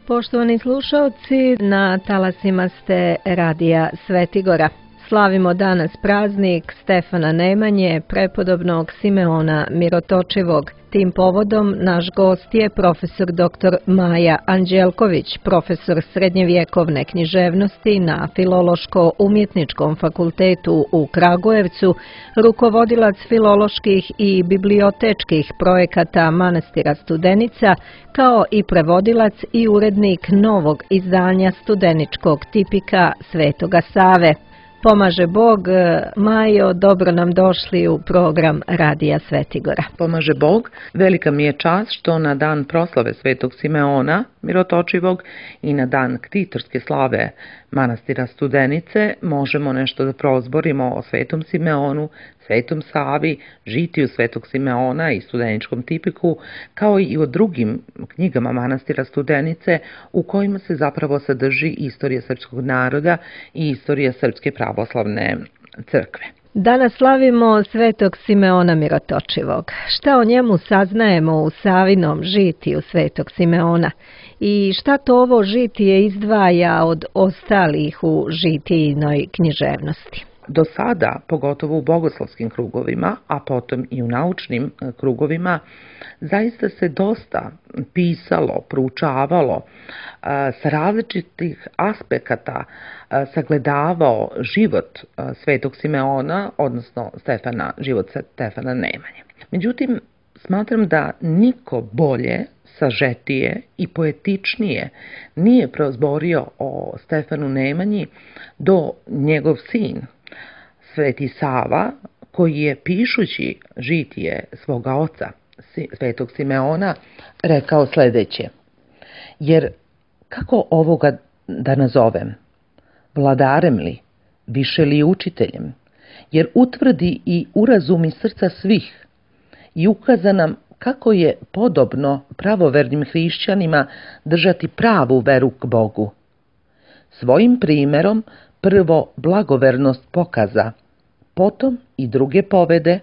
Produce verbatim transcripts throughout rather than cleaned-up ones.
Poštovani slušaoci, na talasima ste Radija Svetigora. Slavimo danas praznik Stefana Nemanje, prepodobnog Simeona Mirotočivog. Tim povodom naš gost je profesor doktor Maja Anđelković, profesor srednjevjekovne književnosti na Filološko-umjetničkom fakultetu u Kragujevcu, rukovodilac filoloških i bibliotečkih projekata manastira Studenica, kao i prevodilac i urednik novog izdanja studeničkog tipika Svetoga Save. Pomaže Bog. Majo, dobro nam došli u program Radija Svetigora. Pomaže Bog. Velika mi je čast što na dan proslave Svetog Simeona Mirotočivog i na dan ktitorske slave manastira Studenice možemo nešto da prozborimo o Svetom Simeonu, Svetom Savi, žitiju Svetog Simeona i studeničkom tipiku, kao i o drugim knjigama manastira Studenice u kojima se zapravo sadrži istorija srpskog naroda i istorija Srpske pravoslavne crkve. Danas slavimo Svetog Simeona Mirotočivog. Šta o njemu saznajemo u Savinom žitiju Svetog Simeona i šta to ovo žitije izdvaja od ostalih u žitijinoj književnosti? Do sada, pogotovo u bogoslovskim krugovima, a potom i u naučnim krugovima, zaista se dosta pisalo, proučavalo, sa različitih aspekata sagledavao život Svetog Simeona, odnosno Stefana, život Stefana Nemanje. Međutim, smatram da niko bolje, sažetije i poetičnije nije prozborio o Stefanu Nemanji do njegov sin, Sveti Sava, koji je pišući žitije svoga oca, Svetog Simeona, rekao sljedeće: jer kako ovoga da nazovem? Vladarem li, više li učiteljem? Jer utvrdi i urazumi srca svih i ukaza nam kako je podobno pravovernim hrišćanima držati pravu veru k Bogu. Svojim primjerom prvo blagovernost pokaza, potom i druge povede,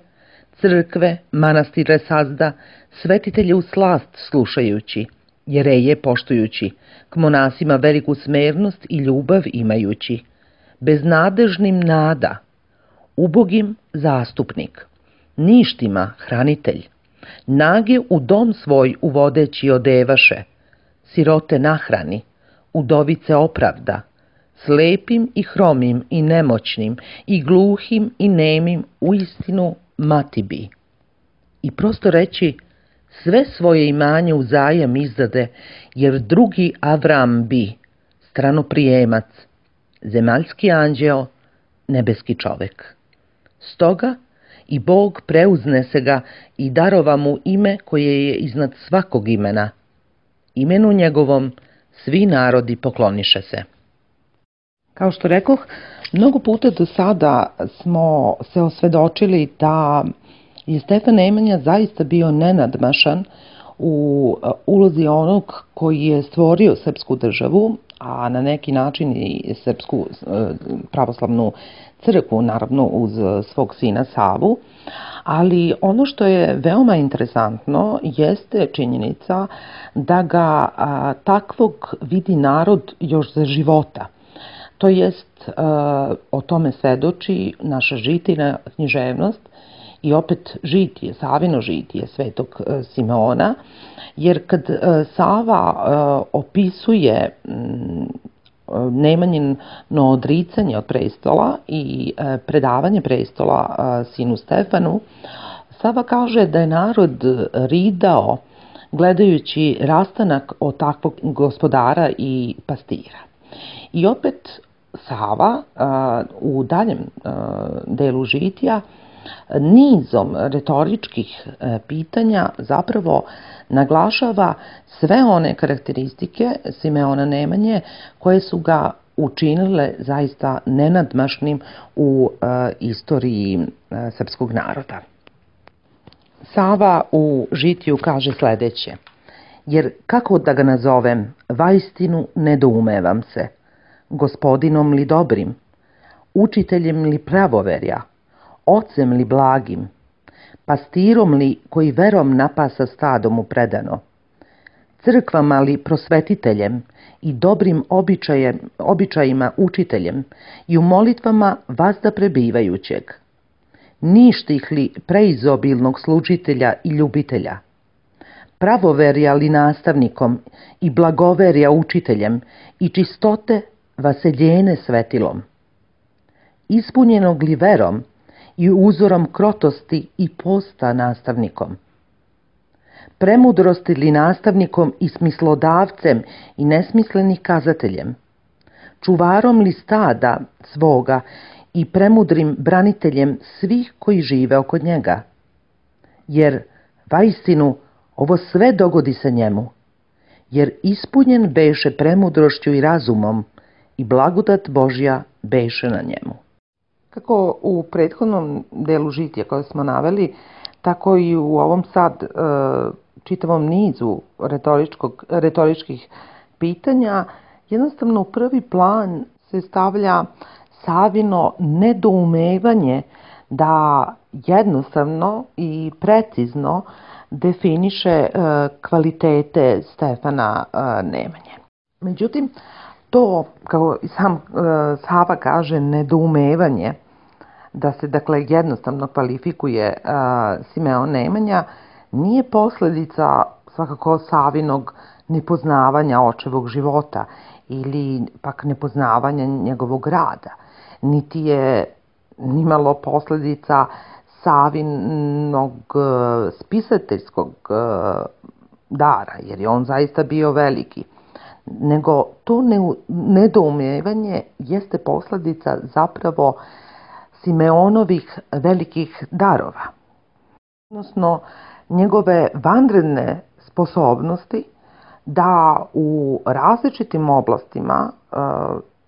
crkve, manastire sazda, svetitelje u slast slušajući, jereje poštujući, k monasima veliku smernost i ljubav imajući, beznadežnim nada, ubogim zastupnik, ništima hranitelj, nage u dom svoj uvodeći odevaše, sirote nahrani, udovice opravda, slepim i hromim i nemoćnim i gluhim i nemim uistinu mati bi. I prosto reći, sve svoje imanje uzajam izdade, jer drugi Avram bi, stranoprijemac, zemaljski anđeo, nebeski čovek. Stoga i Bog preuzne se ga i darova mu ime koje je iznad svakog imena. Imenu njegovom svi narodi pokloniše se. Kao što rekoh, mnogo puta do sada smo se osvedočili da je Stefan Nemanja zaista bio nenadmašan u ulozi onog koji je stvorio srpsku državu, a na neki način i srpsku pravoslavnu crkvu, naravno uz svog sina Savu. Ali ono što je veoma interesantno jeste činjenica da ga a, takvog vidi narod još za života. To jest, o tome svedoči naša žitijna književnost i opet žitije, Savino žitije Svetog Simeona, jer kad Sava opisuje Nemanjino odricanje od prestola i predavanje prestola sinu Stefanu, Sava kaže da je narod ridao gledajući rastanak od takvog gospodara i pastira. I opet Sava u daljem delu žitija nizom retoričkih pitanja zapravo naglašava sve one karakteristike Simeona Nemanje koje su ga učinile zaista nenadmašnim u istoriji srpskog naroda. Sava u žitiju kaže sljedeće: jer kako da ga nazovem, vaistinu nedoumevam se, gospodinom li dobrim, učiteljem li pravoverja, ocem li blagim, pastirom li koji verom napasa stado mu predano, crkvama li prosvetiteljem i dobrim običajem, običajima učiteljem i u molitvama vazda prebivajućeg. Ništih li preizobilnog služitelja i ljubitelja, pravoverja li nastavnikom i blagoverja učiteljem i čistote vaseljene svetilom, ispunjenog li verom i uzorom krotosti i posta nastavnikom, premudrosti li nastavnikom i smislodavcem i nesmislenih kazateljem, čuvarom li stada svoga i premudrim braniteljem svih koji žive oko njega, jer vaistinu ovo sve dogodi se njemu, jer ispunjen beše premudrošću i razumom i blagodat Božja beše na njemu. Kako u prethodnom delu žitija koje smo naveli, tako i u ovom sad e, čitavom nizu retoričkih pitanja, jednostavno u prvi plan se stavlja Savino nedoumevanje da jednostavno i precizno definiše e, kvalitete Stefana e, Nemanje. Međutim, to, kao i sam e, Sava kaže, nedoumevanje, da se dakle jednostavno kvalifikuje e, Simeon Nemanja, nije posljedica svakako Savinog nepoznavanja očevog života ili pak nepoznavanja njegovog rada, niti je nimalo posljedica Savinog spisateljskog dara, jer je on zaista bio veliki, nego to nedoumevanje jeste posljedica zapravo Simeonovih velikih darova, odnosno njegove vanredne sposobnosti da u različitim oblastima uh,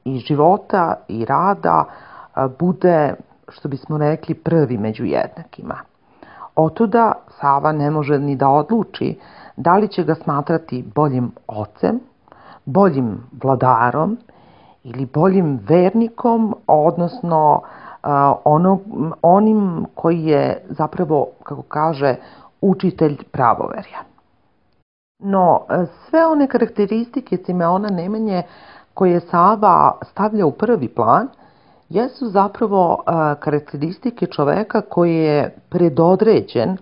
i života i rada uh, bude, što bismo rekli, prvi među jednakima. Otuda Sava ne može ni da odluči da li će ga smatrati boljim ocem, boljim vladarom ili boljim vernikom, odnosno uh, ono, onim koji je zapravo, kako kaže, učitelj pravoverja. No, sve one karakteristike Simeona Nemanje koje Sava stavlja u prvi plan jesu zapravo uh, karakteristike čoveka koji je predodređen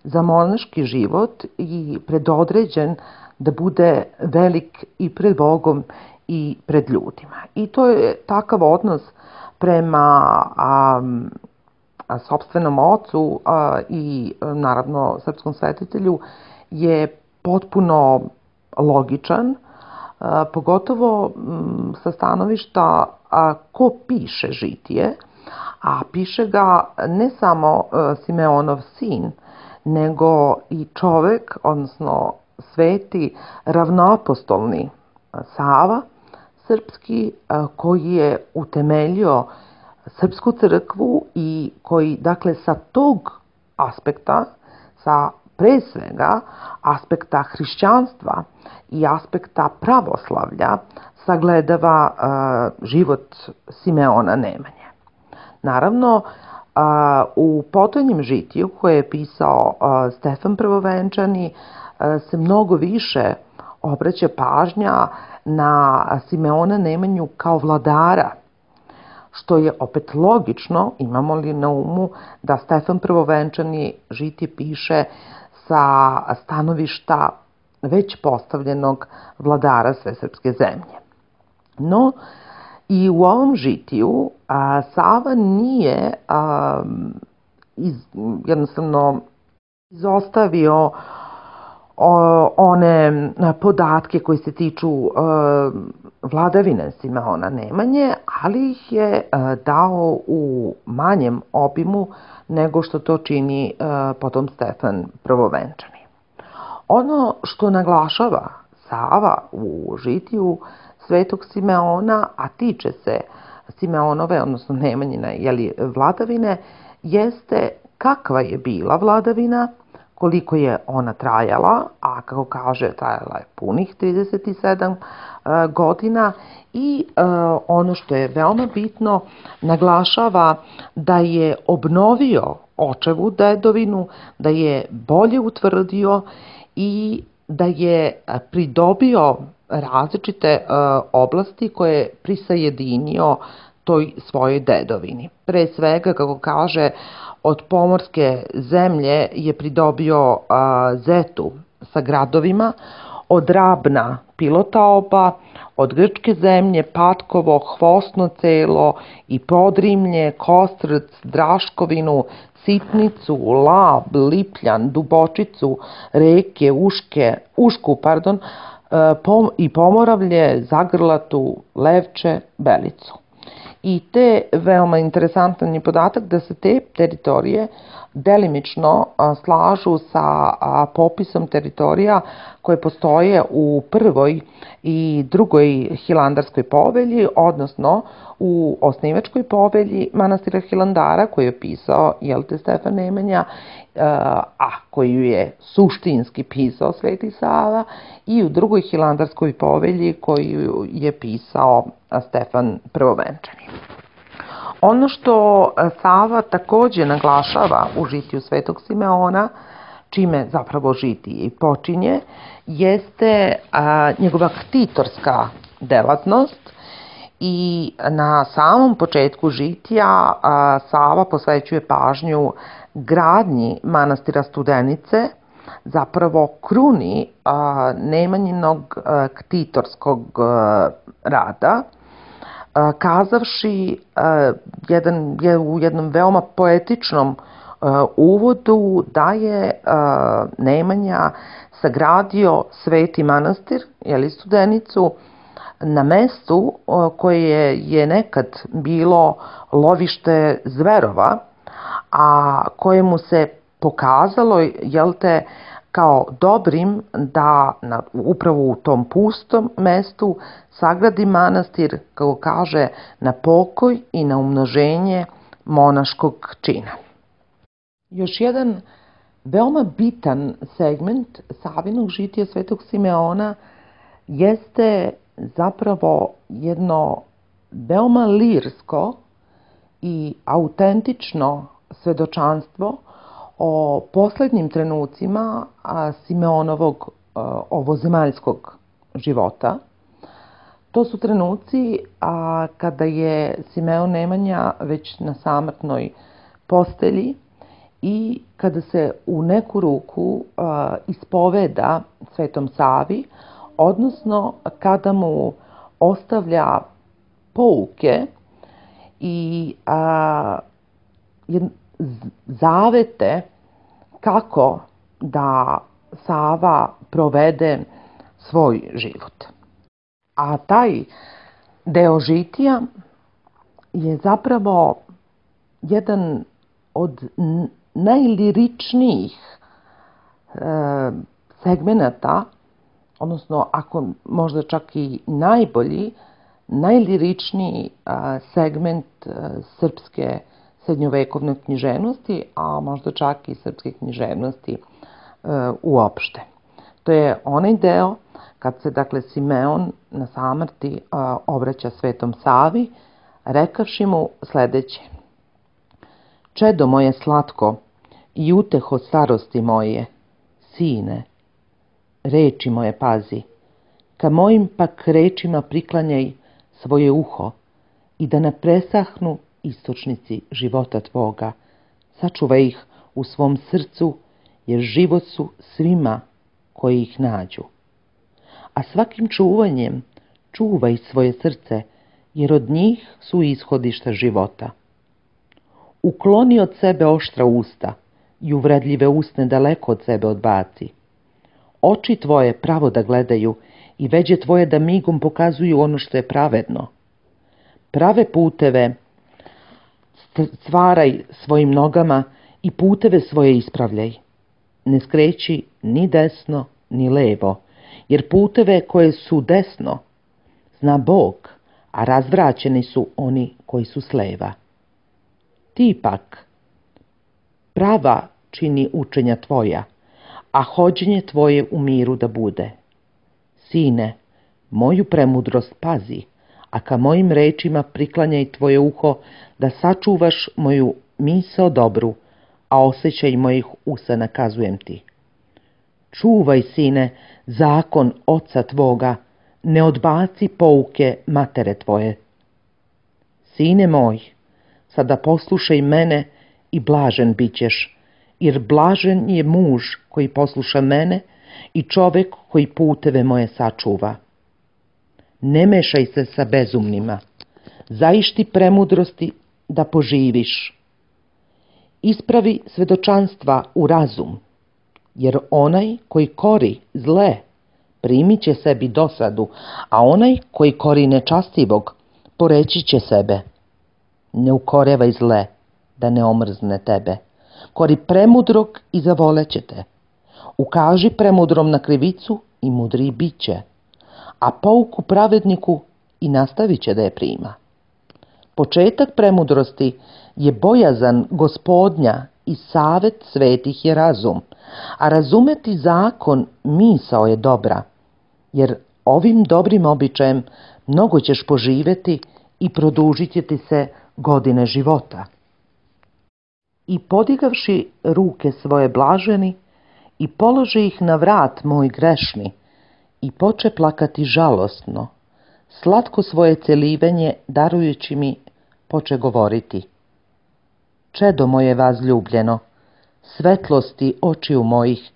za monaški život i predodređen da bude velik i pred Bogom i pred ljudima. I to je takav odnos prema um, sopstvenom ocu a, i naravno srpskom svetitelju je potpuno logičan, a, pogotovo m, sa stanovišta a, ko piše žitije, a piše ga ne samo a, Simeonov sin, nego i čovek, odnosno sveti ravnoapostolni Sava srpski, a, koji je utemeljio Srpsku crkvu i koji, dakle, sa tog aspekta, sa pre svega aspekta hrišćanstva i aspekta pravoslavlja, sagledava uh, život Simeona Nemanje. Naravno, uh, u potonjem žitiju koje je pisao uh, Stefan Prvovenčani uh, se mnogo više obraća pažnja na Simeona Nemanju kao vladara, što je opet logično, imamo li na umu da Stefan Prvovenčani žitije piše sa stanovišta već postavljenog vladara svesrpske zemlje. No, i u ovom žitiju a, Sava nije a, iz, jednostavno izostavio o, one podatke koji se tiču a, vladavine Simeona Nemanje, ali ih je a, dao u manjem obimu nego što to čini a, potom Stefan Prvovenčani. Ono što naglašava Sava u žitiju Svetog Simeona, a tiče se Simeonove, odnosno Nemanjine, jeli, vladavine, jeste kakva je bila vladavina, koliko je ona trajala, a kako kaže, trajala je punih trideset sedam uh, godina i uh, ono što je veoma bitno, naglašava da je obnovio očevu dedovinu, da je bolje utvrdio i da je pridobio različite oblasti koje je prisajedinio toj svojoj dedovini. Pre svega, kako kaže, od pomorske zemlje je pridobio Zetu sa gradovima, od Rabna Pilotaoba, od grčke zemlje Patkovo, Hvosno Celo i Podrimlje, Kostrc, Draškovinu, Sitnicu, Lab, Lipljan, Dubočicu, Reke, Uške, Ušku, pardon, i Pomoravlje, Zagrlatu, Levče, Belicu. I te veoma interesantan je podatak da se te teritorije delimično slažu sa popisom teritorija koje postoje u prvoj i drugoj Hilandarskoj povelji, odnosno u osnivačkoj povelji manastira Hilandara koju je pisao, jel te, Stefan Nemanja, a koju je suštinski pisao Sveti Sava, i u drugoj Hilandarskoj povelji koju je pisao Stefan Prvovenčani. Ono što Sava takođe naglašava u žitiju Svetog Simeona, čime zapravo žitije i počinje, jeste njegova ktitorska delatnost, i na samom početku žitija Sava posvećuje pažnju gradnji manastira Studenice, zapravo kruni Nemanjinog ktitorskog rada, kazavši jedan, u jednom veoma poetičnom uvodu da je Nemanja sagradio sveti manastir, jeli, Studenicu, na mestu koje je nekad bilo lovište zverova, a kojemu se pokazalo, jel te, kao dobrim da na, upravo u tom pustom mestu sagradi manastir, kako kaže, na pokoj i na umnoženje monaškog čina. Još jedan veoma bitan segment Savinog žitija Svetog Simeona jeste zapravo jedno veoma lirsko i autentično svedočanstvo o poslednjim trenucima Simeonovog ovozemaljskog života. To su trenuci kada je Simeon Nemanja već na samrtnoj postelji i kada se u neku ruku ispoveda Svetom Savi, odnosno kada mu ostavlja pouke i a, zavete kako da Sava provede svoj život. A taj deo žitija je zapravo jedan od najliričnijih e, segmenata, odnosno ako možda čak i najbolji, najliričniji a, segment a, srpske srednjovekovne književnosti, a možda čak i srpske književnosti a, uopšte. To je onaj deo kad se, dakle, Simeon na samrti a, obraća Svetom Savi, rekavši mu sledeće: Čedo moje slatko i uteho starosti moje, sine, reči moje pazi, ka mojim pak rečima priklanjaj svoje uho i da ne presahnu istočnici života tvoga. Sačuvaj ih u svom srcu, jer život su svima koji ih nađu. A svakim čuvanjem čuvaj svoje srce, jer od njih su ishodišta života. Ukloni od sebe oštra usta i uvredljive usne daleko od sebe odbaci. Oči tvoje pravo da gledaju i veđe tvoje da migom pokazuju ono što je pravedno. Prave puteve stvaraj svojim nogama i puteve svoje ispravljaj. Ne skreći ni desno ni levo, jer puteve koje su desno zna Bog, a razvraćeni su oni koji su s leva. Ti pak prava čini učenja tvoja, a hođenje tvoje u miru da bude. Sine, moju premudrost pazi, a ka mojim rečima priklanjaj tvoje uho da sačuvaš moju misao dobru, a osjećaj mojih usa nakazujem ti. Čuvaj, sine, zakon oca tvoga, ne odbaci pouke matere tvoje. Sine moj, sada poslušaj mene i blažen bit ćeš, jer blažen je muž koji posluša mene i čovek koji puteve moje sačuva. Ne mešaj se sa bezumnima, zaišti premudrosti da poživiš. Ispravi svedočanstva u razum, jer onaj koji kori zle primit će sebi dosadu, a onaj koji kori nečastivog poreći će sebe. Ne ukorevaj zle, da ne omrzne tebe. Kori premudrog i zavoleće te. Ukaži premudrom na krivicu i mudri bit će, a pouku pravedniku i nastavit će da je prima. Početak premudrosti je bojazan Gospodnja i savet svetih je razum, a razumeti zakon misao je dobra, jer ovim dobrim običajem mnogo ćeš poživeti i produžit će ti se godine života. I podigavši ruke svoje blaženi i polože ih na vrat moj grešni i poče plakati žalosno, slatko svoje celivenje darujući mi poče govoriti. Čedo moje vazljubljeno, svetlosti očiju mojih,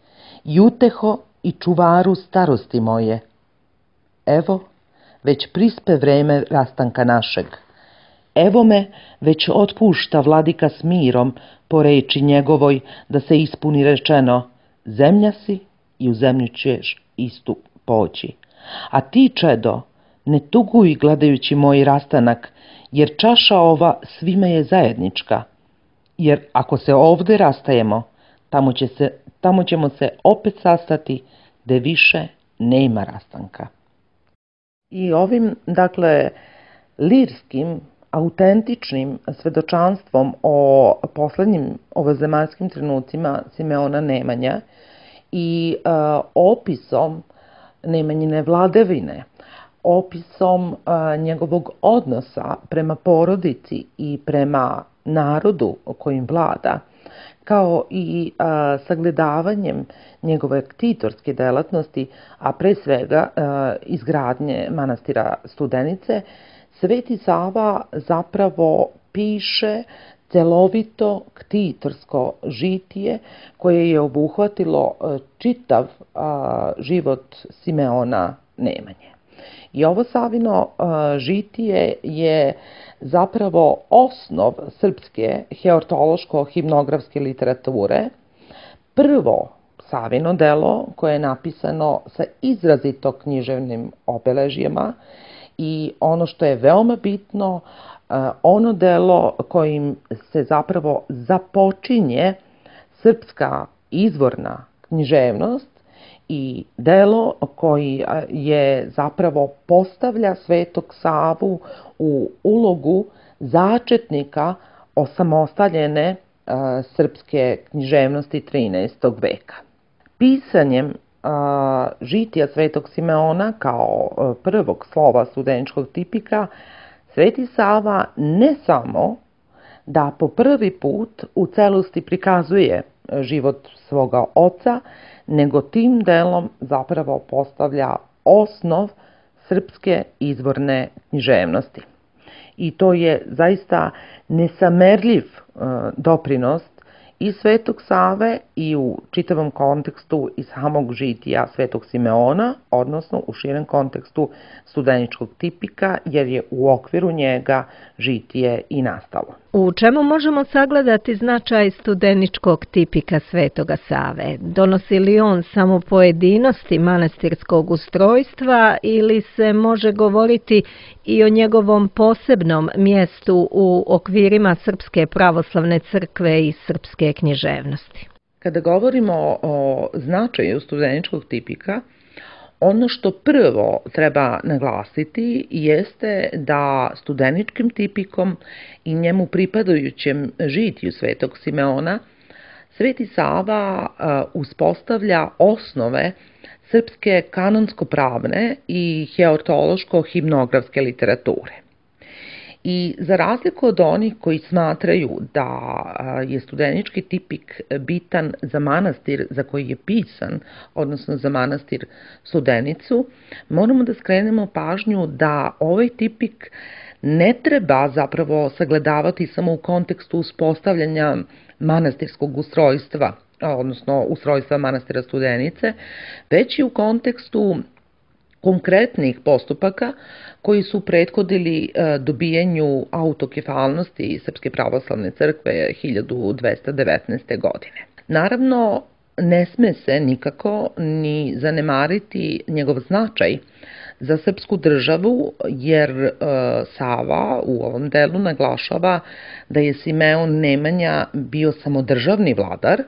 i uteho i čuvaru starosti moje. Evo, već prispe vreme rastanka našeg. Evo me već otpušta vladika s mirom po reči njegovoj da se ispuni rečeno, zemlja si i u zemlju ćeš istu poći. A ti, čedo, ne tuguj gledajući moj rastanak, jer čaša ova svima je zajednička. Jer ako se ovde rastajemo, tamo, će se, tamo ćemo se opet sastati, gde više nema rastanka. I ovim, dakle, lirskim, autentičnim svedočanstvom o poslednjim ovozemaljskim trenucima Simeona Nemanje i e, opisom Nemanjine vladavine, opisom a, njegovog odnosa prema porodici i prema narodu kojim vlada, kao i a, sagledavanjem njegove ktitorske delatnosti, a pre svega a, izgradnje manastira Studenice, Sveti Sava zapravo piše celovito ktitorsko žitije koje je obuhvatilo čitav a, život Simeona Nemanje. I ovo Savino a, žitije je zapravo osnov srpske heortološko-himnografske literature, prvo Savino delo koje je napisano sa izrazito književnim obeležjima i ono što je veoma bitno, ono delo kojim se zapravo započinje srpska izvorna književnost i delo koji je zapravo postavlja Svetog Savu u ulogu začetnika osamostaljene srpske književnosti trinaestog veka. Pisanjem žitija Svetog Simeona kao prvog slova studeničkog tipika, Sveti Sava ne samo da po prvi put u celosti prikazuje život svoga oca, nego tim delom zapravo postavlja osnov srpske izvorne književnosti. I to je zaista nesamerljiv doprinos i Svetog Save i u čitavom kontekstu i samog žitija Svetog Simeona, odnosno u širem kontekstu studeničkog tipika, jer je u okviru njega žitije i nastalo. U čemu možemo sagledati značaj studeničkog tipika Svetoga Save? Donosi li on samo pojedinosti manastirskog ustrojstva ili se može govoriti i o njegovom posebnom mjestu u okvirima Srpske pravoslavne crkve i srpske književnosti? Kada govorimo o značaju studeničkog tipika, ono što prvo treba naglasiti jeste da studeničkim tipikom i njemu pripadajućem žitiju Svetog Simeona Sveti Sava uspostavlja osnove srpske kanonsko-pravne i heortološko-himnografske literature. I za razliku od onih koji smatraju da je studenički tipik bitan za manastir za koji je pisan, odnosno za manastir Studenicu, moramo da skrenemo pažnju da ovaj tipik ne treba zapravo sagledavati samo u kontekstu uspostavljanja manastirskog ustrojstva, odnosno ustrojstva manastira Studenice, već i u kontekstu konkretnih postupaka koji su prethodili dobijanju autokefalnosti Srpske pravoslavne crkve hiljadu dvesta devetnaeste. godine. Naravno, ne sme se nikako ni zanemariti njegov značaj za srpsku državu, jer Sava u ovom delu naglašava da je Simeon Nemanja bio samodržavni vladar,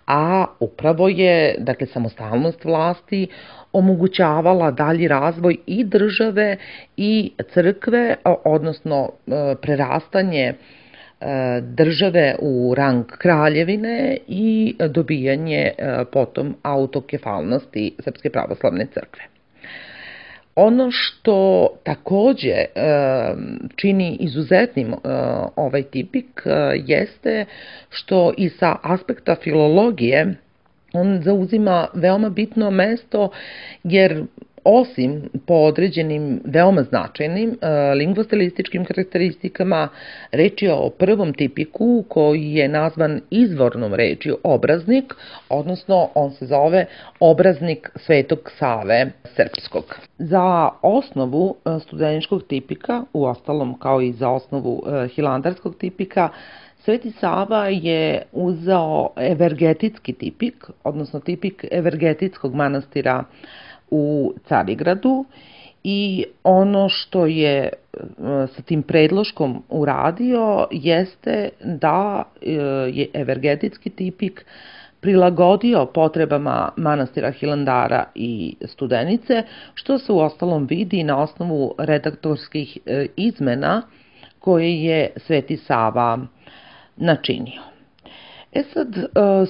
a upravo je, dakle, samostalnost vlasti omogućavala dalji razvoj i države i crkve, odnosno prerastanje države u rang kraljevine i dobijanje potom autokefalnosti Srpske pravoslavne crkve. Ono što takođe čini izuzetnim ovaj tipik jeste što i sa aspekta filologije on zauzima veoma bitno mesto, jer osim po određenim veoma značajnim lingvostilističkim karakteristikama, reč je o prvom tipiku koji je nazvan izvornom rečju obraznik, odnosno on se zove obraznik Svetog Save srpskog. Za osnovu studeničkog tipika, uostalom kao i za osnovu hilandarskog tipika, Sveti Sava je uzeo evergetitski tipik, odnosno tipik evergetitskog manastira u Carigradu, i ono što je sa tim predloškom uradio jeste da je evergetitski tipik prilagodio potrebama manastira Hilandara i Studenice, što se uostalom vidi na osnovu redaktorskih izmena koje je Sveti Sava načinio. E sad,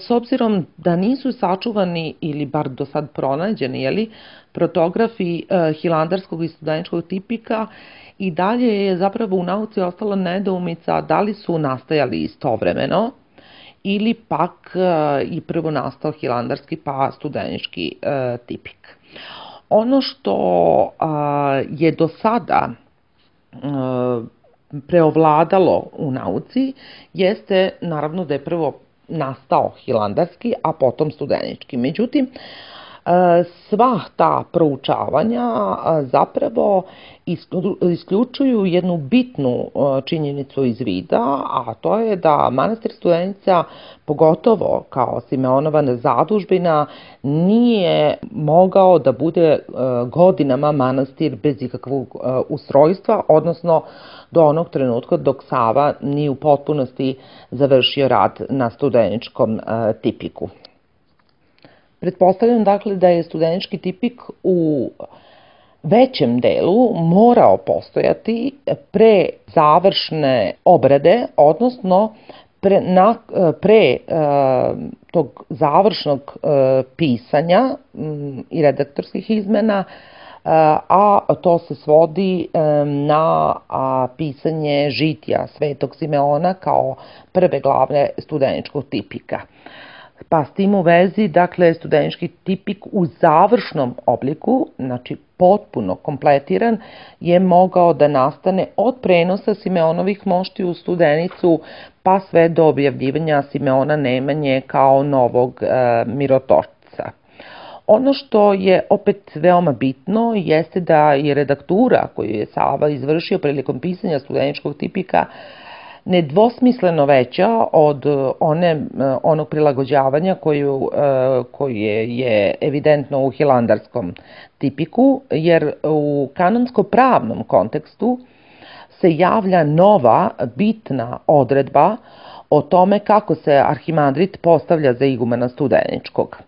s obzirom da nisu sačuvani ili bar do sad pronađeni, jeli, protografi hilandarskog i studeničkog tipika, i dalje je zapravo u nauci ostala nedoumica da li su nastajali istovremeno ili pak i prvo nastao hilandarski pa studenički tipik. Ono što je do sada preovladalo u nauci jeste naravno da je prvo nastao hilandarski, a potom studenički. Međutim, sva ta proučavanja zapravo isključuju jednu bitnu činjenicu iz vida, a to je da manastir Studenica, pogotovo kao Simeonova zadužbina, nije mogao da bude godinama manastir bez ikakvog ustrojstva, odnosno do onog trenutka dok Sava nije u potpunosti završio rad na studeničkom tipiku. Pretpostavljam dakle da je studenički tipik u većem delu morao postojati pre završne obrade, odnosno pre, na, pre uh, tog završnog uh, pisanja um, i redaktorskih izmena, uh, a to se svodi um, na a, pisanje žitija Svetog Simeona kao prve glave studeničkog tipika. Pa s tim u vezi, dakle, studenički tipik u završnom obliku, znači potpuno kompletiran, je mogao da nastane od prenosa Simeonovih mošti u Studenicu pa sve do objavljivanja Simeona Nemanje kao novog e, mirotočca. Ono što je opet veoma bitno jeste da je redaktura koju je Sava izvršio prilikom pisanja studeničkog tipika nedvosmisleno veća od one, onog prilagođavanja koju, koje je evidentno u hilandarskom tipiku, jer u kanonsko-pravnom kontekstu se javlja nova bitna odredba o tome kako se arhimandrit postavlja za igumana Studeničkog.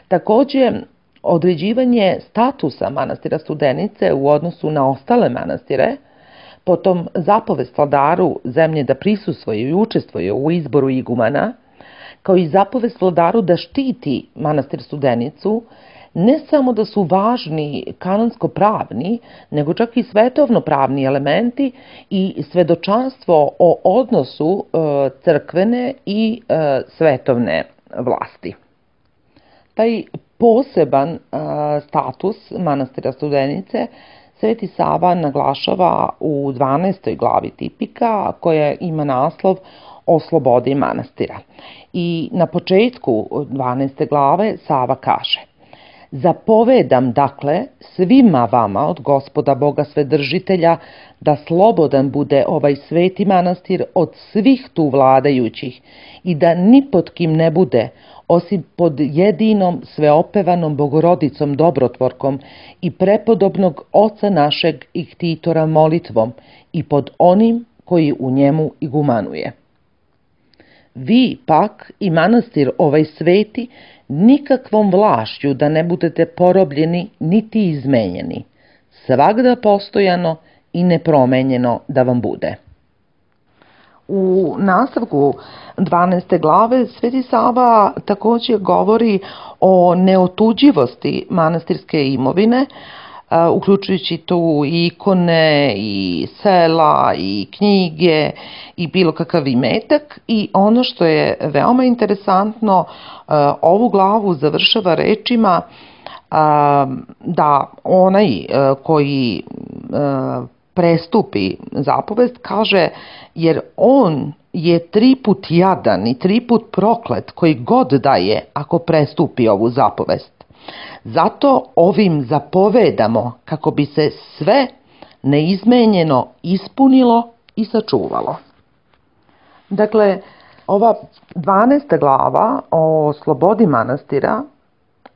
Takođe, određivanje statusa manastira Studenice u odnosu na ostale manastire, potom zapovest vladaru zemlje da prisustvuje i učestvuje u izboru igumana, kao i zapovest vladaru da štiti manastir Studenicu, ne samo da su važni kanonsko-pravni, nego čak i svetovno-pravni elementi i svedočanstvo o odnosu crkvene i svetovne vlasti. Taj poseban status manastira Studenice Sveti Sava naglašava u dvanaestoj glavi tipika, koja ima naslov o slobodi manastira. I na početku dvanaeste glave Sava kaže: Zapovedam, dakle, svima vama od Gospoda Boga Svedržitelja da slobodan bude ovaj sveti manastir od svih tu vladajućih i da ni pod kim ne bude, osim pod jedinom sveopevanom Bogorodicom dobrotvorkom i prepodobnog oca našeg iktitora molitvom i pod onim koji u njemu igumanuje. Vi pak i manastir ovaj sveti nikakvom vlašću da ne budete porobljeni niti izmenjeni, svagda postojano i nepromenjeno da vam bude. U nastavku dvanaeste glave Sveti Sava također govori o neotuđivosti manastirske imovine, uključujući tu i ikone, i sela, i knjige, i bilo kakav imetak. I ono što je veoma interesantno, ovu glavu završava rečima da onaj koji prestupi zapovest, kaže, jer on je tri put jadan i tri put proklet koji god da je ako prestupi ovu zapovest. Zato ovim zapovedamo kako bi se sve neizmenjeno ispunilo i sačuvalo. Dakle, ova dvanaesta glava o slobodi manastira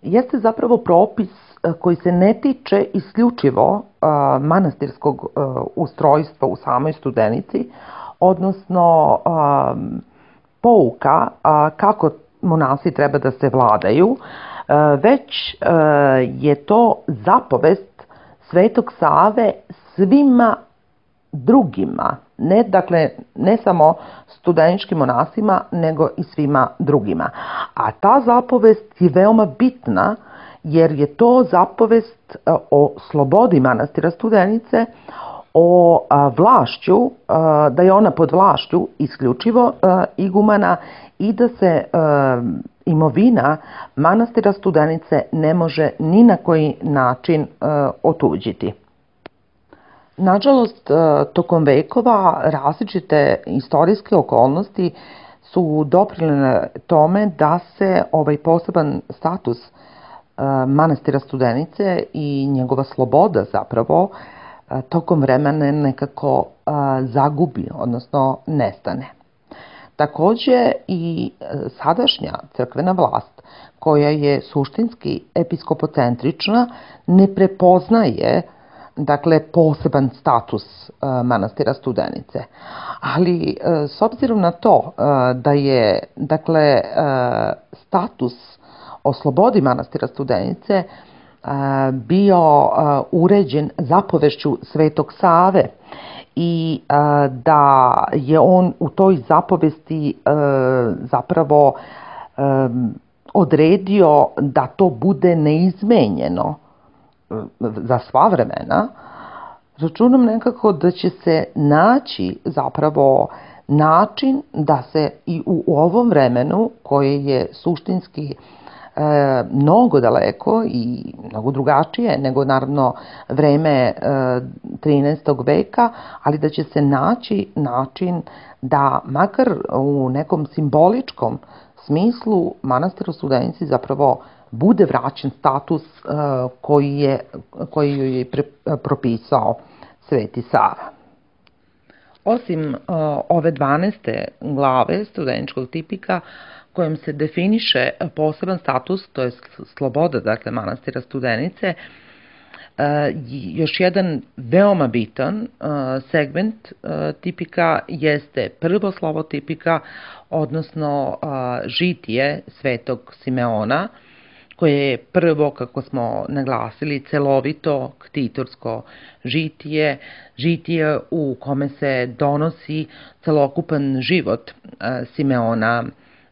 jeste zapravo propis koji se ne tiče isključivo a, manastirskog a, ustrojstva u samoj Studenici, odnosno a, pouka a, kako monasi treba da se vladaju, a, već a, je to zapovest Svetog Save svima drugima, ne, dakle, ne samo studeničkim monasima, nego i svima drugima. A ta zapovest je veoma bitna, jer je to zapovest o slobodi manastira Studenice, o vlašću, da je ona pod vlašću isključivo igumana i da se imovina manastira Studenice ne može ni na koji način otuđiti. Nažalost, tokom vekova različite istorijske okolnosti su doprinele tome da se ovaj poseban status manastira Studenice i njegova sloboda zapravo tokom vremena nekako zagubi, odnosno nestane. Također i sadašnja crkvena vlast, koja je suštinski episkopocentrična, ne prepoznaje dakle poseban status manastira Studenice. Ali s obzirom na to da je dakle status o slobodi manastira Studenice bio uređen zapovešću Svetog Save i da je on u toj zapovesti zapravo odredio da to bude neizmenjeno za sva vremena, računam nekako da će se naći zapravo način da se i u ovom vremenu, koje je suštinski e, mnogo daleko i mnogo drugačije nego naravno vreme e, trinaestog veka, ali da će se naći način da makar u nekom simboličkom smislu manastiru Studenici zapravo bude vraćen status uh, koji je, koji joj je pre, propisao Sveti Sava. Osim uh, ove dvanaeste glave studeničkog tipika, kojom se definiše poseban status, to je sloboda, dakle, manastira Studenice, uh, još jedan veoma bitan uh, segment uh, tipika jeste prvo slovo tipika, odnosno uh, žitije Svetog Simeona, koje je prvo, kako smo naglasili, celovito ktitorsko žitije, žitije u kome se donosi celokupan život Simeona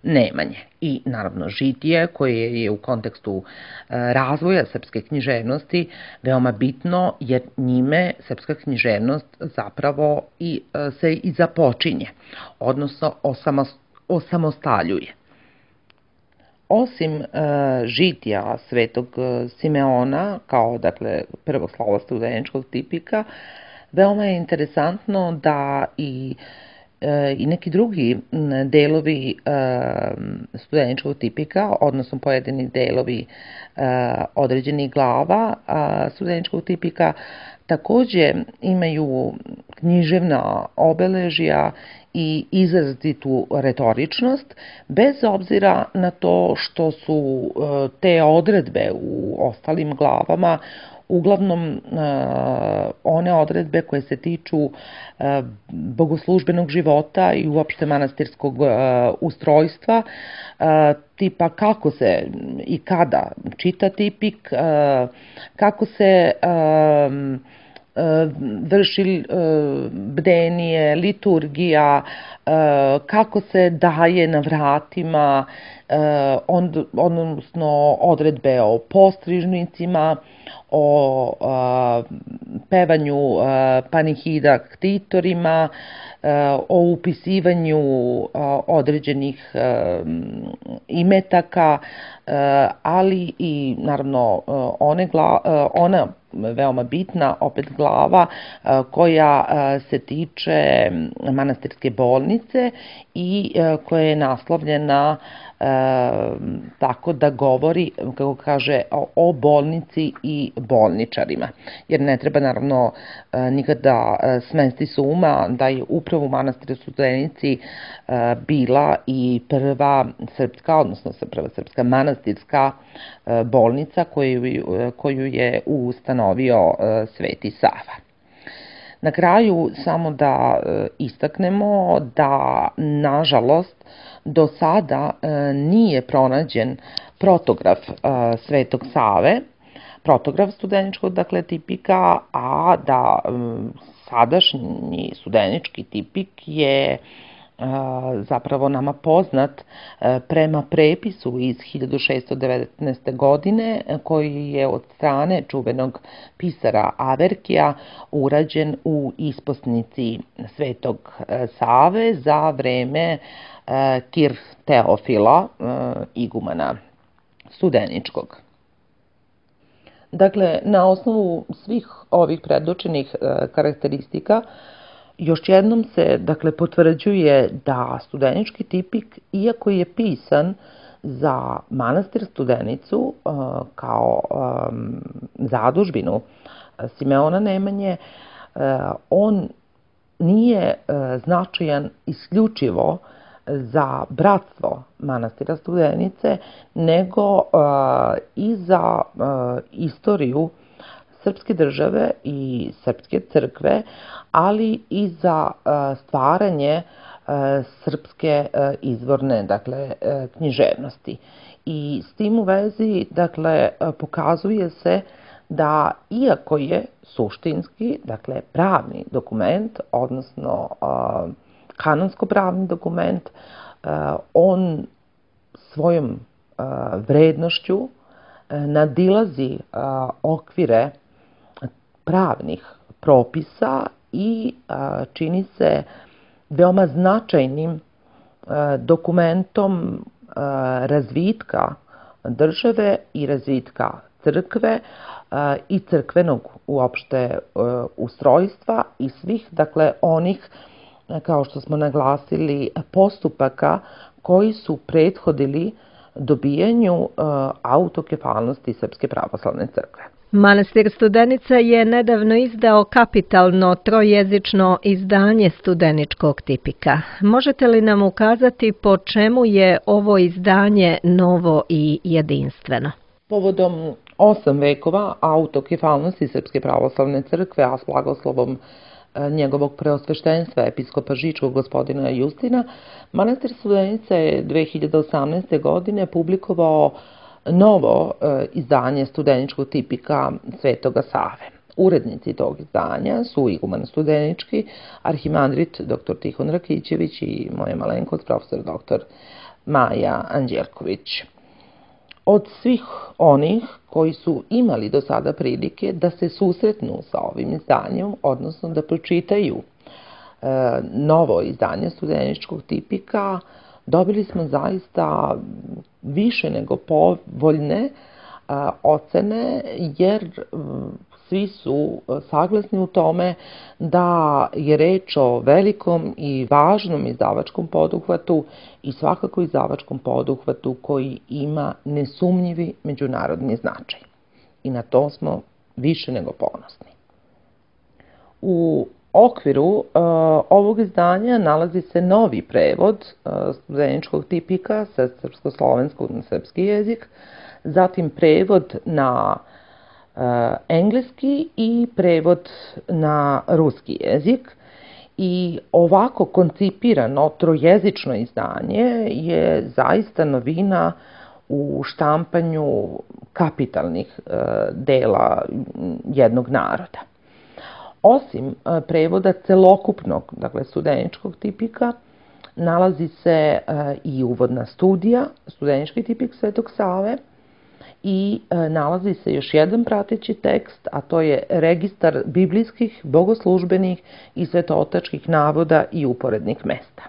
Nemanje. I naravno žitije koje je u kontekstu razvoja srpske književnosti veoma bitno, jer njime srpska književnost zapravo i se i započinje, odnosno osamostaljuje. Osim uh, žitija Svetog Simeona, kao dakle prvog slova studeničkog tipika, veoma je interesantno da i, uh, i neki drugi delovi uh, studeničkog tipika, odnosno pojedini delovi uh, određenih glava uh, studeničkog tipika, takođe imaju književna obeležja i izrazitu retoričnost, bez obzira na to što su te odredbe u ostalim glavama uglavnom one odredbe koje se tiču bogoslužbenog života i uopšte manastirskog ustrojstva, tipa kako se i kada čita tipik, kako se vrši bdenije, liturgija, kako se daje na vratima, odnosno odredbe o postrižnicima, o pevanju panihida ktitorima, o upisivanju određenih imetaka, ali i naravno one ona veoma bitna opet glava koja se tiče manastirske bolnice i koja je naslovljena tako da govori, kako kaže, o bolnici i bolničarima. Jer ne treba naravno nikada smesti s uma da je upravo u manastiru Studenici bila i prva srpska, odnosno prva srpska manastirska bolnica koju, koju je ustanovio Sveti Sava. Na kraju samo da istaknemo da, nažalost, do sada nije pronađen protograf Svetog Save, protograf studeničkog, dakle, tipika, a da sadašnji studenički tipik je zapravo nama poznat prema prepisu iz hiljadu šessto devetnaeste. godine, koji je od strane čuvenog pisara Averkija urađen u isposnici Svetog Save za vreme Kir Teofila, igumana studeničkog. Dakle, na osnovu svih ovih predočenih karakteristika, još jednom se, dakle, potvrđuje da studenički tipik, iako je pisan za manastir Studenicu kao zadužbinu Simeona Nemanje, on nije značajan isključivo za bratstvo manastira Studenice, nego i za istoriju srpske države i srpske crkve, ali i za stvaranje srpske izvorne, dakle, književnosti. I s tim u vezi, dakle, pokazuje se da, iako je suštinski, dakle, pravni dokument, odnosno kanonsko-pravni dokument, on svojom vrednošću nadilazi okvire pravnih propisa i čini se veoma značajnim dokumentom razvitka države i razvitka crkve i crkvenog uopšte ustrojstva i svih, dakle, onih, kao što smo naglasili, postupaka koji su prethodili dobijanju autokefalnosti Srpske pravoslavne crkve. Manastir Studenica je nedavno izdao kapitalno trojezično izdanje studeničkog tipika. Možete li nam ukazati po čemu je ovo izdanje novo i jedinstveno? Povodom osam vekova autokefalnosti Srpske pravoslavne crkve, a s blagoslovom njegovog preosveštenstva episkopa Žičkog gospodina Justina, manastir Studenica je dve hiljade osamnaeste. godine publikovao novo izdanje studeničkog tipika Svetoga Save. Urednici tog izdanja su iguman studenički, arhimandrit doktor Tihon Rakićević i moja malenkost, profesor doktor Maja Anđelković. Od svih onih koji su imali do sada prilike da se susretnu sa ovim izdanjem, odnosno da pročitaju e, novo izdanje studeničkog tipika, dobili smo zaista više nego povoljne a, ocene, jer svi su saglasni u tome da je reč o velikom i važnom izdavačkom poduhvatu i svakako izdavačkom poduhvatu koji ima nesumnjivi međunarodni značaj. I na to smo više nego ponosni. U okviru uh, ovog izdanja nalazi se novi prevod uh, studeničkog tipika sa srpsko-slovenskog na srpski jezik, zatim prevod na uh, engleski i prevod na ruski jezik. I ovako koncipirano trojezično izdanje je zaista novina u štampanju kapitalnih uh, dela jednog naroda. Osim prevoda celokupnog, dakle, studeničkog tipika, nalazi se i uvodna studija, studenički tipik Svetog Save, i nalazi se još jedan prateći tekst, a to je registar biblijskih, bogoslužbenih i svetootačkih navoda i uporednih mesta.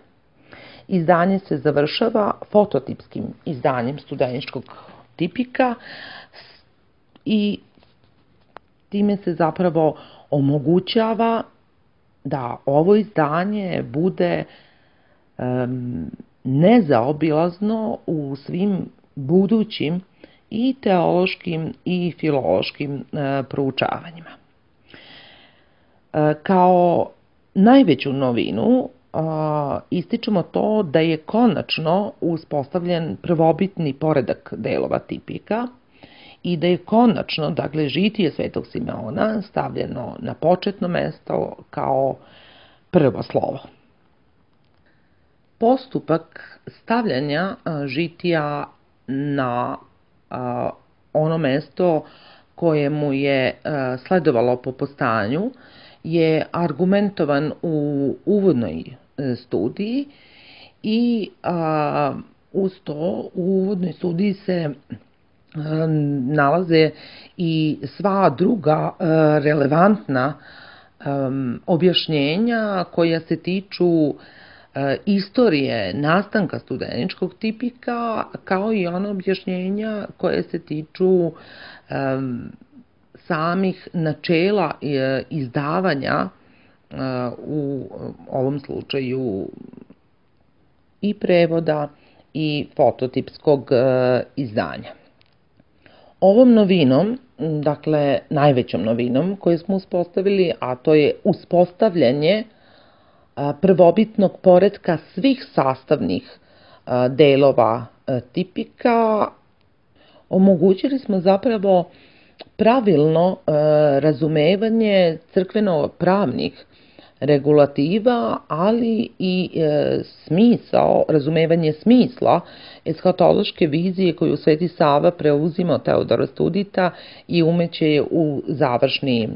Izdanje se završava fototipskim izdanjem studeničkog tipika i time se zapravo omogućava da ovo izdanje bude um, nezaobilazno u svim budućim i teološkim i filološkim uh, proučavanjima. Uh, kao najveću novinu uh, ističemo to da je konačno uspostavljen prvobitni poredak delova tipika i da je konačno, dakle, žitije Svetog Simeona stavljeno na početno mesto kao prvo slovo. Postupak stavljanja žitija na a, ono mesto koje mu je a, sledovalo po postanju je argumentovan u uvodnoj studiji i a, uz to u uvodnoj studiji se nalaze i sva druga relevantna objašnjenja koja se tiču istorije nastanka studeničkog tipika, kao i ona objašnjenja koje se tiču samih načela izdavanja, u ovom slučaju i prevoda i fototipskog izdanja. Ovom novinom, dakle najvećom novinom koju smo uspostavili, a to je uspostavljanje prvobitnog poretka svih sastavnih delova tipika, omogućili smo zapravo pravilno razumevanje crkveno-pravnih regulativa, ali i e, smisao, razumevanje smisla eshatološke vizije koju Sveti Sava preuzima od Teodora Studita i umeće je u završni e,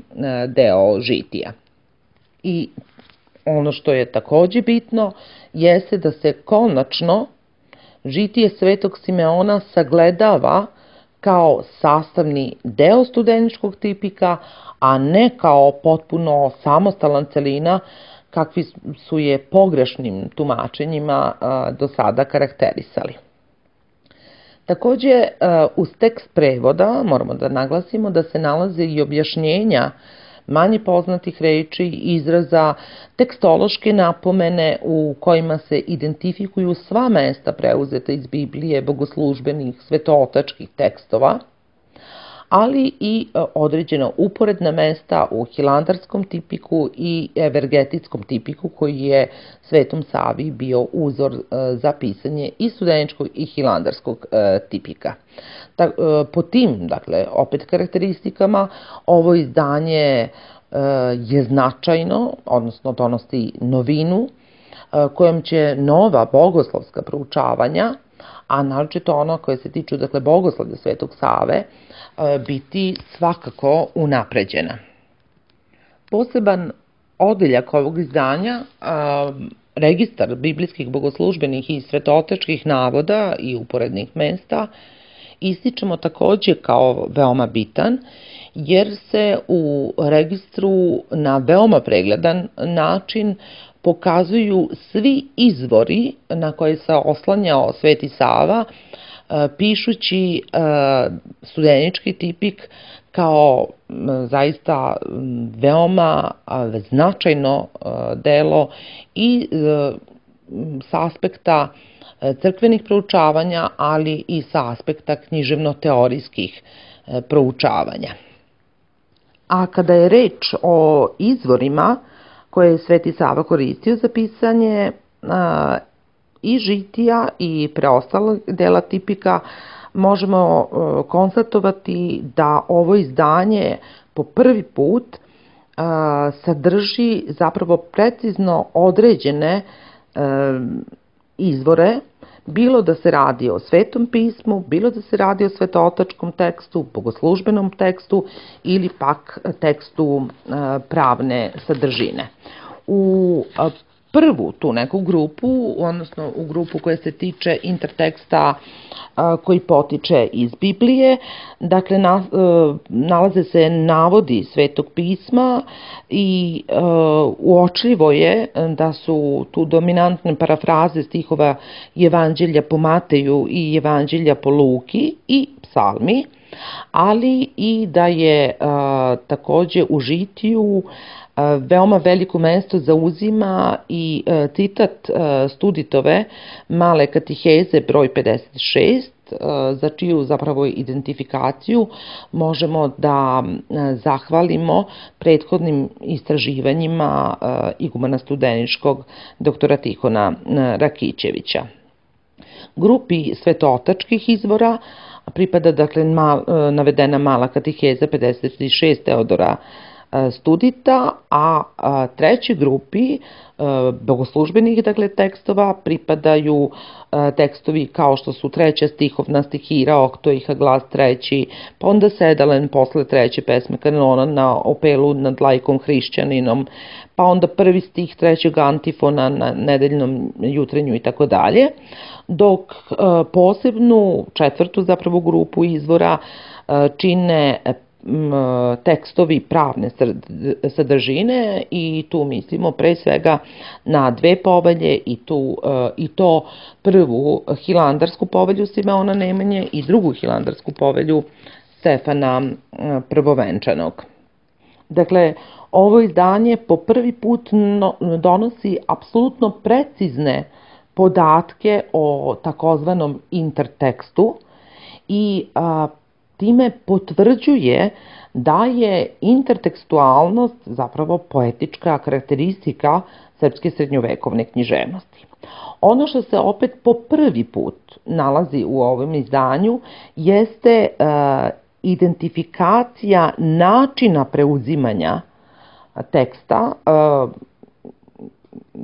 deo žitija. I ono što je takođe bitno jeste da se konačno žitije Svetog Simeona sagledava kao sastavni deo studeničkog tipika, a ne kao potpuno samostalan celina kakvi su je pogrešnim tumačenjima do sada karakterisali. Takođe, uz tekst prevoda moramo da naglasimo da se nalaze i objašnjenja manje poznatih reči, izraza, tekstološke napomene u kojima se identifikuju sva mesta preuzeta iz Biblije, bogoslužbenih, svetootačkih tekstova, ali i određena uporedna mesta u hilandarskom tipiku i evergetitskom tipiku koji je Svetom Savi bio uzor za pisanje i studeničkog i hilandarskog tipika. Po tim, dakle, opet karakteristikama, ovo izdanje je značajno, odnosno donosi novinu kojom će nova bogoslovska proučavanja, a naročito ono koje se tiču, dakle, bogoslovlja Svetog Save, biti svakako unapređena. Poseban odeljak ovog izdanja registar biblijskih bogoslužbenih i svetotečkih navoda i uporednih mesta ističemo takođe kao veoma bitan, jer se u registru na veoma pregledan način pokazuju svi izvori na koje se oslanjao Sveti Sava, pišući studenički tipik kao zaista veoma značajno delo i sa aspekta crkvenih proučavanja, ali i sa aspekta književno-teorijskih proučavanja. A kada je reč o izvorima koje je Sveti Sava koristio za pisanje i žitija i preostalog dela tipika, možemo konstatovati da ovo izdanje po prvi put sadrži zapravo precizno određene izvore, bilo da se radi o Svetom pismu, bilo da se radi o svetotačkom tekstu, bogoslužbenom tekstu ili pak tekstu pravne sadržine. U prvu tu neku grupu, odnosno u grupu koja se tiče interteksta koji potiče iz Biblije, dakle nalaze se navodi Svetog pisma i uočljivo je da su tu dominantne parafraze stihova Evanđelja po Mateju i Evanđelja po Luki i psalmi, ali i da je takođe u žitiju veoma veliko mesto zauzima i citat Studitove male katiheze broj pedeset šest, za čiju zapravo identifikaciju možemo da zahvalimo prethodnim istraživanjima igumana studeničkog doktora Tihona Rakićevića. Grupi svetotačkih izvora pripada dakle navedena mala katiheza pedeset šest Teodora Studita, a trećoj grupi bogoslužbenih dakle tekstova pripadaju tekstovi kao što su treća stihovna stihira, oktoiha glas treći, pa onda sedalen posle treće pesme kanona na opelu nad lajkom hrišćaninom, pa onda prvi stih trećeg antifona na nedeljnom jutrenju i tako dalje, dok posebnu četvrtu zapravo grupu izvora čine tekstovi pravne sadržine i tu mislimo pre svega na dve povelje i, tu, i to prvu Hilandarsku povelju Simeona Nemanje i drugu Hilandarsku povelju Stefana Prvovenčanog. Dakle, ovo izdanje po prvi put donosi apsolutno precizne podatke o takozvanom intertekstu i a, time potvrđuje da je intertekstualnost zapravo poetička karakteristika srpske srednjovekovne književnosti. Ono što se opet po prvi put nalazi u ovom izdanju jeste uh, identifikacija načina preuzimanja teksta, uh,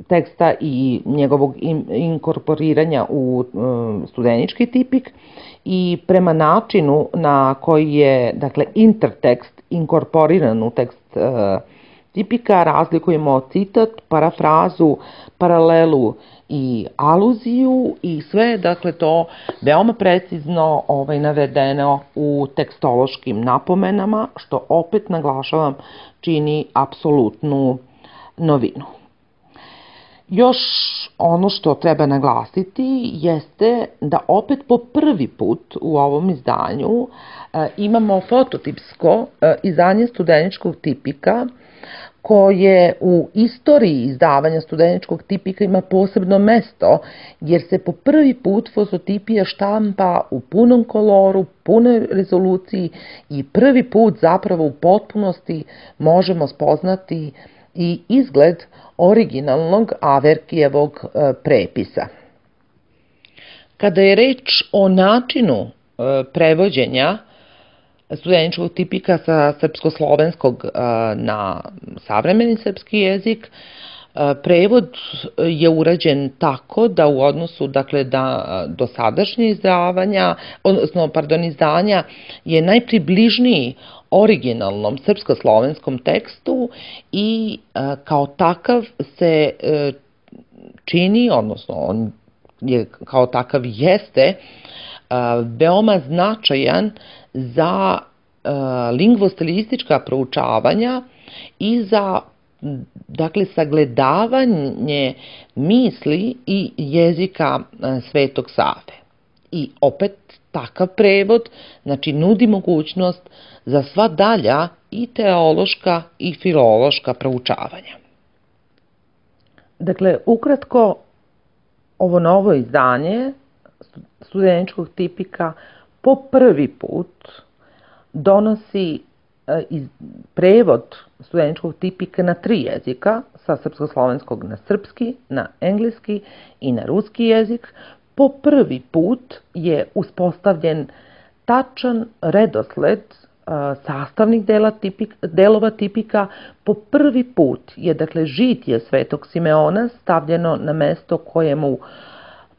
teksta i njegovog inkorporiranja u studenički tipik i prema načinu na koji je dakle intertekst inkorporiran u tekst tipika razlikujemo citat, parafrazu, paralelu i aluziju i sve dakle to veoma precizno ovaj navedeno u tekstološkim napomenama, što opet naglašavam čini apsolutnu novinu. Još ono što treba naglasiti jeste da opet po prvi put u ovom izdanju e, imamo fototipsko e, izdanje studeničkog tipika koje u istoriji izdavanja studeničkog tipika ima posebno mesto jer se po prvi put fototipija štampa u punom koloru, punoj rezoluciji i prvi put zapravo u potpunosti možemo spoznati i izgled originalnog Averkijevog prepisa. Kada je reč o načinu prevođenja studeničkog tipika sa srpsko-slovenskog na savremeni srpski jezik, prevod je urađen tako da u odnosu dakle da dosadašnje izdavanja, odnosno pardon izdanja je najpribližniji originalnom srpsko-slovenskom tekstu i kao takav se čini, odnosno on je kao takav jeste veoma značajan za lingvostilistička proučavanja i za, dakle, sagledavanje misli i jezika Svetog Save. I opet takav prevod, znači, nudi mogućnost za sva dalja i teološka i filološka proučavanja. Dakle, ukratko, ovo novo izdanje studeničkog tipika po prvi put donosi prevod studeničkog tipika na tri jezika, sa srpsko-slovenskog na srpski, na engleski i na ruski jezik. Po prvi put je uspostavljen tačan redosled sastavnih dela tipik, delova tipika. Po prvi put je, dakle, žitje Svetog Simeona stavljeno na mesto kojemu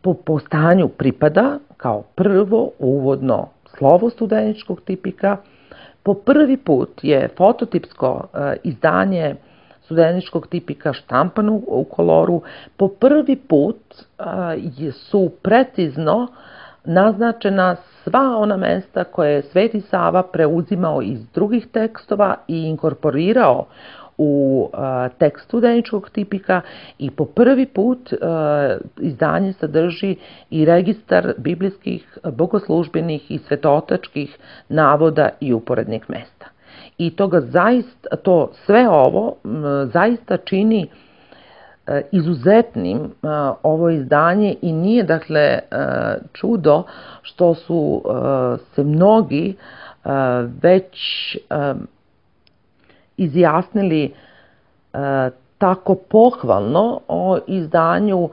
po postanju pripada kao prvo uvodno slovo studeničkog tipika. Po prvi put je fototipsko izdanje studeničkog tipika štampano u koloru. Po prvi put su precizno naznačena sva ona mesta koje je Sveti Sava preuzimao iz drugih tekstova i inkorporirao u tekst studeničkog tipika, i po prvi put izdanje sadrži i registar biblijskih, bogoslužbenih i svetootačkih navoda i uporednih mesta. I toga zaista, to sve ovo zaista čini izuzetnim ovo izdanje i nije, dakle, čudo što su se mnogi već izjasnili tako pohvalno o izdanju,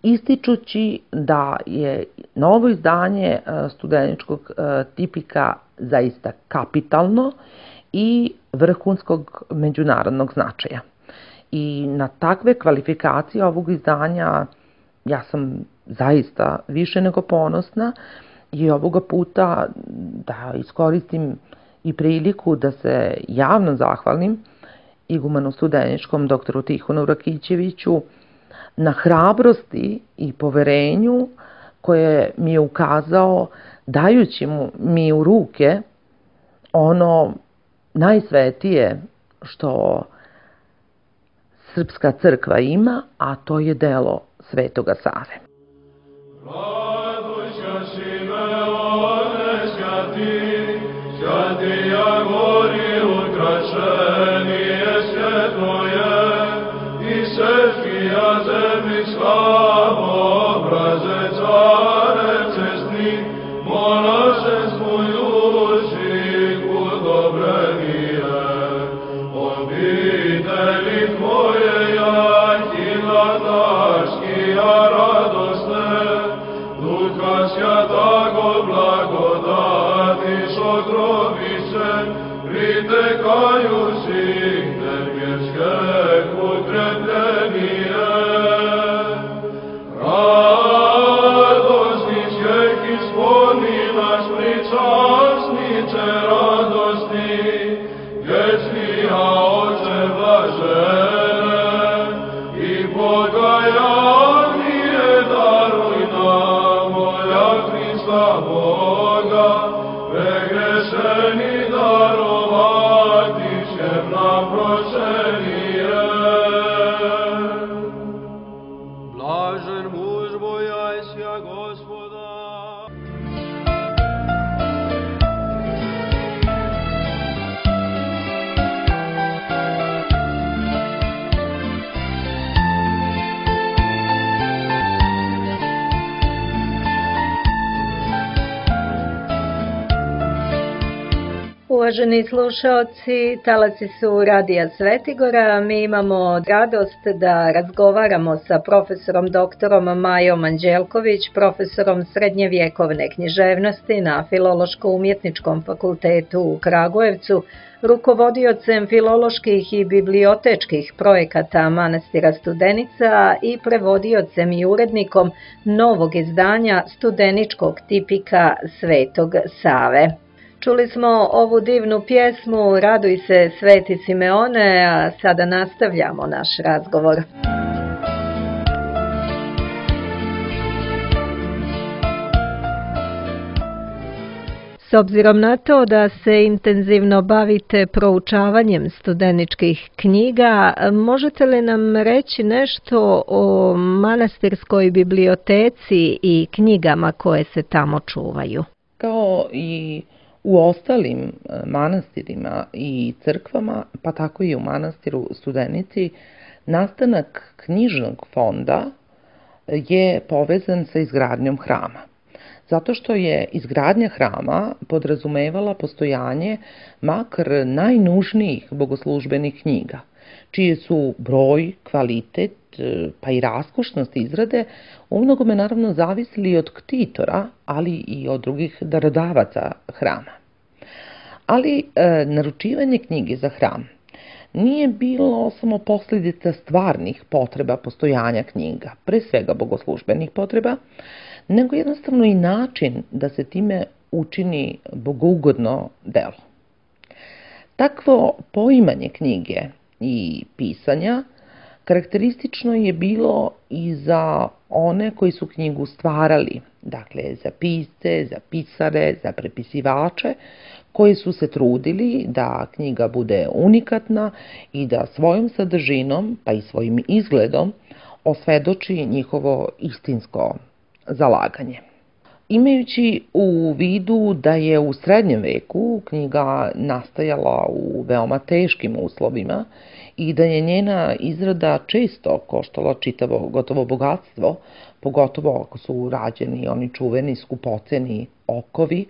ističući da je novo izdanje studeničkog tipika zaista kapitalno i vrhunskog međunarodnog značaja. I na takve kvalifikacije ovog izdanja ja sam zaista više nego ponosna i ovoga puta da iskoristim i priliku da se javno zahvalim igumanu studeničkom doktoru Tihonu Rakićeviću na hrabrosti i poverenju koje mi je ukazao dajući mu mi u ruke ono najsvetije što srpska crkva ima, a to je delo Svetoga Save. Uvaženi slušaoci, talasi su Radija Svetigora. Mi imamo radost da razgovaramo sa profesorom doktorom Majom Anđelković, profesorom srednjevjekovne književnosti na Filološko-umjetničkom fakultetu u Kragujevcu, rukovodiocem filoloških i bibliotečkih projekata Manastira Studenica i prevodiocem i urednikom novog izdanja studeničkog tipika Svetog Save. Čuli smo ovu divnu pjesmu Raduj se Sveti Simeone, a sada nastavljamo naš razgovor. obzirom na to da se intenzivno bavite proučavanjem studeničkih knjiga, možete li nam reći nešto o manastirskoj biblioteci i knjigama koje se tamo čuvaju? Kao i u ostalim manastirima i crkvama, pa tako i u manastiru Studenici, nastanak knjižnog fonda je povezan sa izgradnjom hrama. Zato što je izgradnja hrama podrazumevala postojanje makar najnužnijih bogoslužbenih knjiga, čije su broj, kvalitet, pa i raskošnost izrade umnogome naravno zavisili od ktitora, ali i od drugih darodavaca hrama. Ali e, naručivanje knjige za hram nije bilo samo posljedica stvarnih potreba postojanja knjiga, pre svega bogoslužbenih potreba, nego jednostavno i način da se time učini bogougodno delo. Takvo poimanje knjige i pisanja karakteristično je bilo i za one koji su knjigu stvarali, dakle za pisce, za pisare, za prepisivače, koji su se trudili da knjiga bude unikatna i da svojom sadržinom, pa i svojim izgledom, osvedoči njihovo istinsko zalaganje. Imajući u vidu da je u srednjem veku knjiga nastajala u veoma teškim uslovima i da je njena izrada često koštala čitavo gotovo bogatstvo, pogotovo ako su rađeni oni čuveni skupoceni okovi,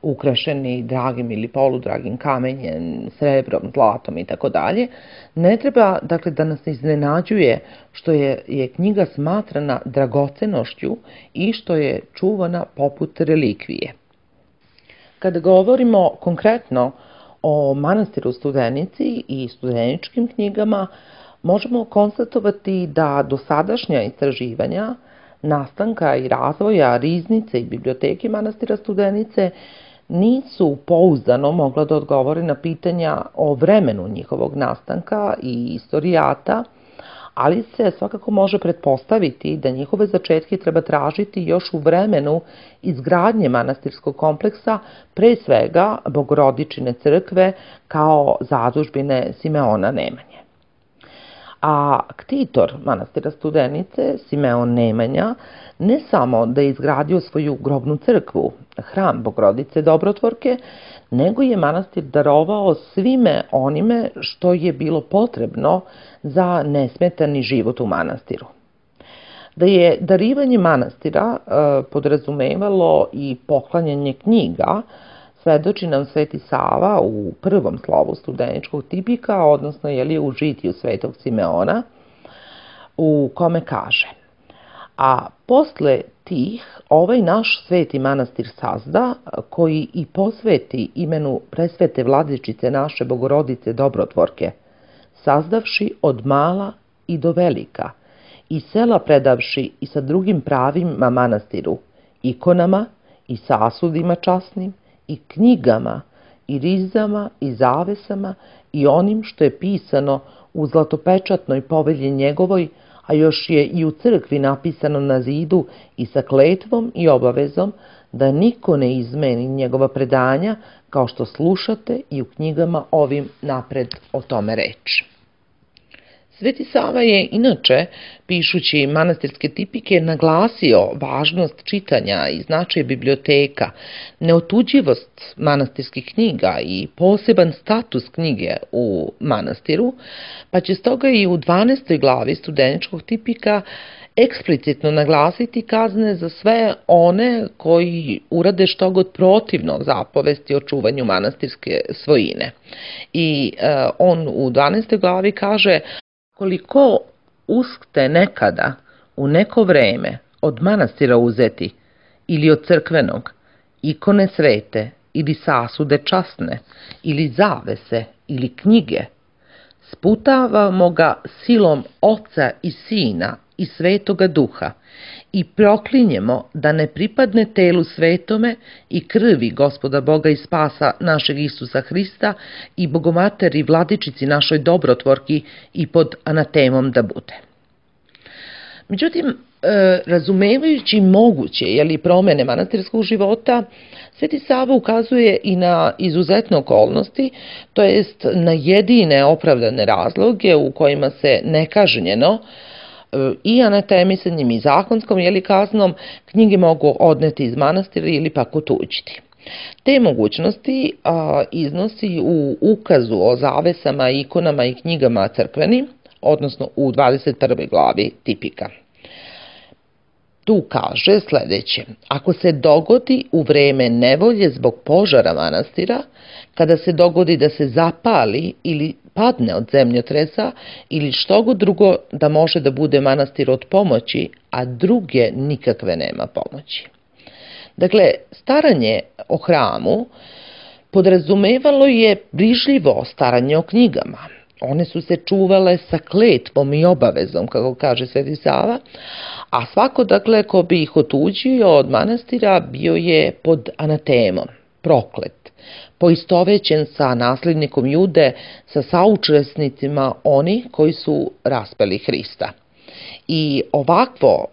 ukrašeni dragim ili poludragim kamenjem, srebrom, zlatom i tako dalje, ne treba dakle da nas iznenađuje što je, je knjiga smatrana dragocenošću i što je čuvana poput relikvije. Kada govorimo konkretno o manastiru Studenici i studeničkim knjigama, možemo konstatovati da dosadašnja istraživanja nastanka i razvoja riznice i biblioteke manastira Studenice nisu pouzdano mogla da odgovore na pitanja o vremenu njihovog nastanka i istorijata, ali se svakako može pretpostaviti da njihove začetke treba tražiti još u vremenu izgradnje manastirskog kompleksa, pre svega Bogorodičine crkve kao zadužbine Simeona Nemanje. A ktitor manastira Studenice, Simeon Nemanja, ne samo da je izgradio svoju grobnu crkvu, hram Bogorodice Dobrotvorke, nego je manastir darovao svime onime što je bilo potrebno za nesmetani život u manastiru. Da je darivanje manastira e, podrazumevalo i poklanjanje knjiga, svedoči nam Sveti Sava u prvom slovu studeničkog tipika, odnosno je li u žitiju Svetog Simeona, u kome kaže: a posle tih ovaj naš sveti manastir sazda, koji i posveti imenu presvete vladičice naše Bogorodice Dobrotvorke, sazdavši od mala i do velika, i sela predavši i sa drugim pravima manastiru, ikonama i sasudima časnim, i knjigama, i rizama, i zavesama, i onim što je pisano u zlatopečatnoj povelji njegovoj, a još je i u crkvi napisano na zidu i sa kletvom i obavezom da niko ne izmeni njegova predanja, kao što slušate i u knjigama ovim napred o tome reč. Sveti Sava je inače, pišući manastirske tipike, naglasio važnost čitanja i značaj biblioteka, neotuđivost manastirskih knjiga i poseban status knjige u manastiru, pa će stoga i u dvanaestoj glavi studeničkog tipika eksplicitno naglasiti kazne za sve one koji urade što god protivno zapovesti o čuvanju manastirske svojine. I e, on u dvanaestoj glavi kaže: koliko uskte nekada u neko vreme od manastira uzeti ili od crkvenog, ikone svete ili sasude časne ili zavese ili knjige, sputavamo ga silom Oca i Sina i Svetoga Duha i proklinjemo da ne pripadne telu svetome i krvi Gospoda Boga i Spasa našeg Isusa Hrista i Bogomateri Vladičici našoj Dobrotvorki i pod anatemom da bude. Međutim, razumevajući moguće jeli, promene manastirskog života, Sveti Sava ukazuje i na izuzetne okolnosti, to jest na jedine opravdane razloge u kojima se nekažnjeno i anatemisanjem i zakonskom jeli, kaznom knjige mogu odneti iz manastira ili pak otuđiti. Te mogućnosti a, iznosi u ukazu o zavesama, ikonama i knjigama crkvenim, odnosno u dvadeset prvoj glavi tipika. Tu kaže sledeće: ako se dogodi u vreme nevolje zbog požara manastira, kada se dogodi da se zapali ili padne od zemljotresa ili što god drugo da može da bude manastir od pomoći, a druge nikakve nema pomoći. Dakle, staranje o hramu podrazumevalo je brižljivo staranje o knjigama. One su se čuvale sa kletvom i obavezom, kako kaže Sveti Sava, a svako, dakle, ko bi ih otuđio od manastira bio je pod anatemom, proklet, poistovećen sa naslednikom Jude, sa saučesnicima oni koji su raspeli Hrista. I ovakvo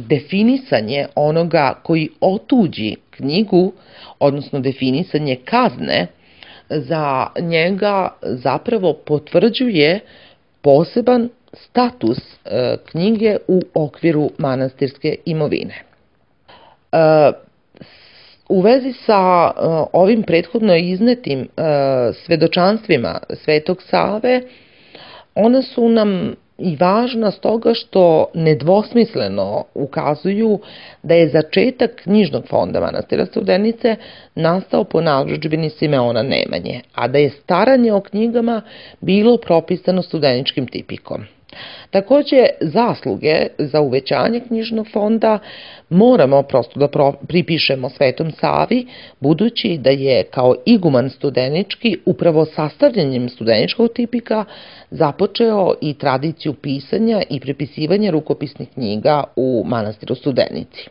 definisanje onoga koji otuđi knjigu, odnosno definisanje kazne, za njega zapravo potvrđuje poseban status e, knjige u okviru manastirske imovine. E, u vezi sa e, ovim prethodno iznetim e, svedočanstvima Svetog Save, ona su nam i važna stoga što nedvosmisleno ukazuju da je začetak knjižnog fonda manastira Studenice nastao po narudžbini Simeona Nemanje, a da je staranje o knjigama bilo propisano studeničkim tipikom. Takođe, zasluge za uvećanje knjižnog fonda moramo prosto da pripišemo Svetom Savi, budući da je kao iguman studenički upravo sastavljanjem studeničkog tipika započeo i tradiciju pisanja i prepisivanja rukopisnih knjiga u manastiru Studenici.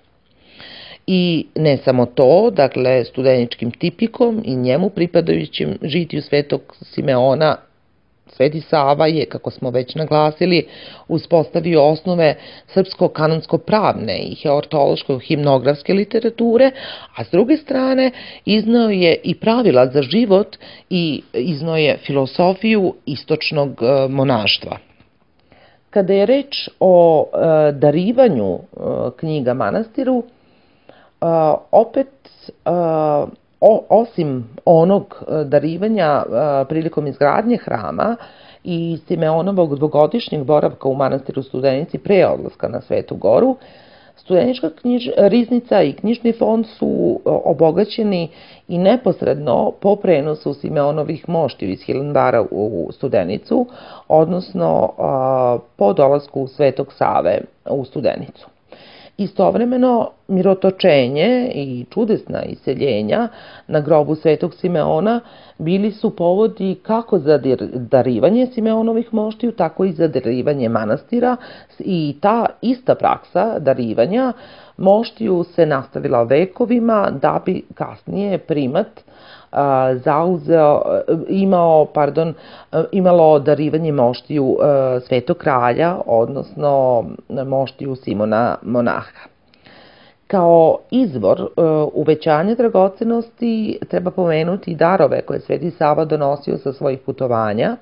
I ne samo to, dakle, studeničkim tipikom i njemu pripadajućim žitiju Svetog Simeona, Sveti Sava je, kako smo već naglasili, uspostavio osnove srpsko-kanonsko-pravne i heortološko-himnografske literature, a s druge strane iznao je i pravila za život i iznao je filosofiju istočnog monaštva. Kada je reč o e, darivanju e, knjiga manastiru, e, opet e, O, osim onog darivanja prilikom izgradnje hrama i Simeonovog dvogodišnjeg boravka u manastiru Studenici pre odlaska na Svetu Goru, studenička knjiž, riznica i knjižni fond su obogaćeni i neposredno po prenosu Simeonovih moštiju iz Hilandara u Studenicu, odnosno po dolasku Svetog Save u Studenicu. Istovremeno, mirotočenje i čudesna iseljenja na grobu Svetog Simeona bili su povodi kako za darivanje Simeonovih moštiju, tako i za darivanje manastira, i ta ista praksa darivanja moštiju se nastavila vekovima da bi kasnije primat zauzeo, imao, pardon, imalo darivanje moštiju Svetog kralja, odnosno moštiju Simona monaha. Kao izvor uvećanja dragocenosti treba pomenuti darove koje Sveti Sava donosio sa svojih putovanja,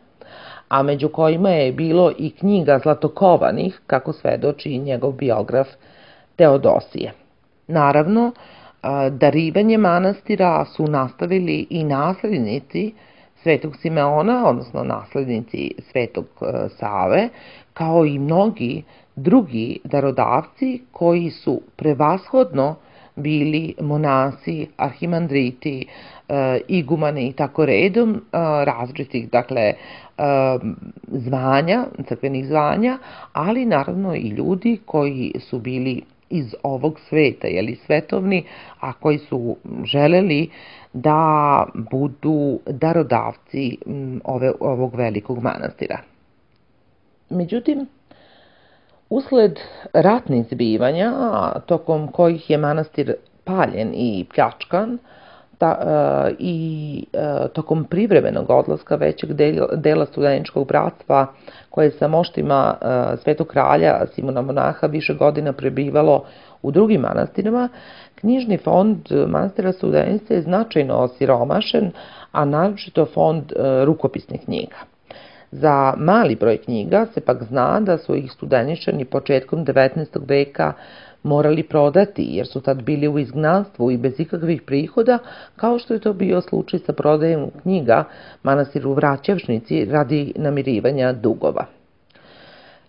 a među kojima je bilo i knjiga zlatokovanih, kako svedoči njegov biograf Teodosije. Naravno, darivanje manastira su nastavili i naslednici Svetog Simeona, odnosno naslednici Svetog Save, kao i mnogi drugi darodavci koji su prevashodno bili monasi, arhimandriti, igumani i tako redom različitih, dakle, zvanja, crkvenih zvanja, ali naravno i ljudi koji su bili iz ovog sveta, jeli svetovni, a koji su želeli da budu darodavci ove, ovog velikog manastira. Međutim, usled ratnih zbivanja, tokom kojih je manastir paljen i pljačkan, ta, e, i e, tokom privremenog odlaska većeg dela studeničkog bratstva koje je sa moštima e, Svetog kralja Simona Monaha više godina prebivalo u drugim manastirima, knjižni fond manastira Studenica je značajno osiromašen, a naročito fond e, rukopisnih knjiga. Za mali broj knjiga se pak zna da su ih Studeničani početkom devetnaestog veka morali prodati, jer su tad bili u izgnanstvu i bez ikakvih prihoda, kao što je to bio slučaj sa prodajem knjiga manastiru Vraćevšnici radi namirivanja dugova.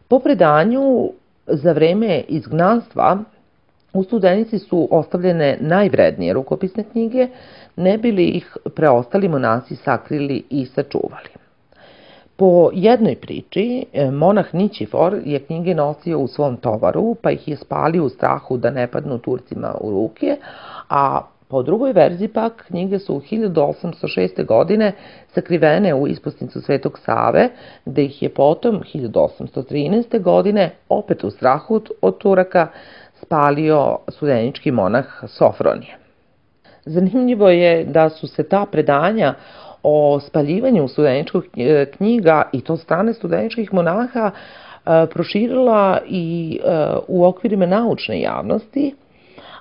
Po predanju, za vreme izgnanstva u Studenici su ostavljene najvrednije rukopisne knjige, ne bi li ih preostali monasi sakrili i sačuvali. Po jednoj priči, monah Nićifor je knjige nosio u svom tovaru, pa ih je spalio u strahu da ne padnu Turcima u ruke, a po drugoj verziji pak knjige su u hiljadu osamsto šeste. godine sakrivene u isposnicu Svetog Save, gde ih je potom hiljadu osamsto trinaeste. godine opet u strahu od Turaka spalio studenički monah Sofronije. Zanimljivo je da su se ta predanja o spaljivanju studeničkih knjiga i to strane studeničkih monaha proširila i u okvirima naučne javnosti,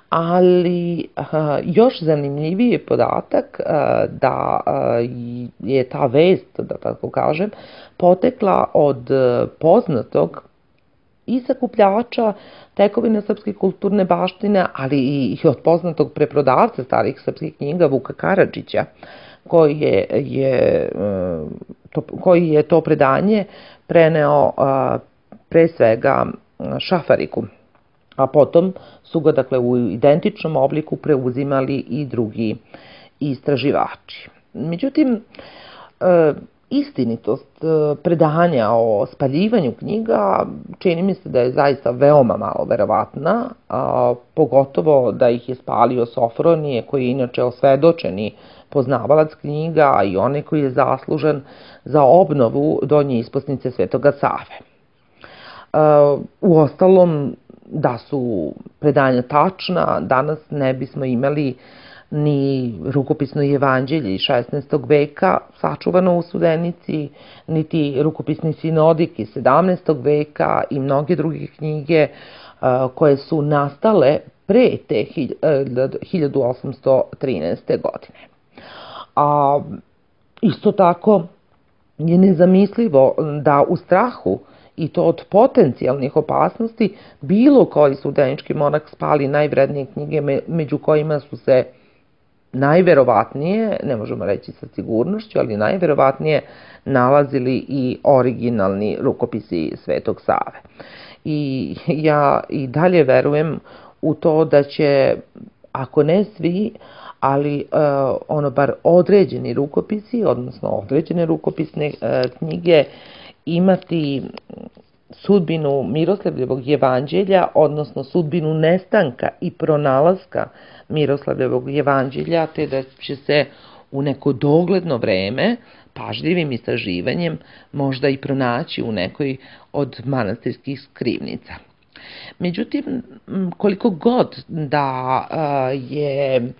ali još zanimljiviji je podatak da je ta vest, da tako kažem, potekla od poznatog i sakupljača tekovina srpske kulturne baštine, ali i od poznatog preprodavca starih srpskih knjiga Vuka Karadžića, koji je, je, to, koji je to predanje preneo pre svega Šafariku, a potom su ga dakle u identičnom obliku preuzimali i drugi istraživači. Međutim, istinitost predanja o spaljivanju knjiga čini mi se da je zaista veoma malo verovatna, a pogotovo da ih je spalio Sofronije, koji je inače osvedočeni poznavalac knjiga, a i onaj koji je zaslužan za obnovu donje isposnice Svetoga Save. Uostalom, da su predanja tačna, danas ne bismo imali ni rukopisno evanđelje iz šesnaestog. veka sačuvano u Studenici, niti rukopisni sinodik iz sedamnaestog. veka i mnoge druge knjige koje su nastale pre te hiljadu osamsto trinaeste. godine. A isto tako je nezamislivo da u strahu i to od potencijalnih opasnosti bilo koji studenički monah spali najvrednije knjige, među kojima su se najverovatnije, ne možemo reći sa sigurnošću, ali najverovatnije nalazili i originalni rukopisi Svetog Save. I ja i dalje verujem u to da će, ako ne svi, ali ono bar određeni rukopisi, odnosno određene rukopisne knjige imati sudbinu Miroslavljevog evanđelja, odnosno sudbinu nestanka i pronalaska Miroslavljevog evanđelja, te da će se u neko dogledno vreme, pažljivim istraživanjem, možda i pronaći u nekoj od manastirskih skrivnica. Međutim, koliko god da je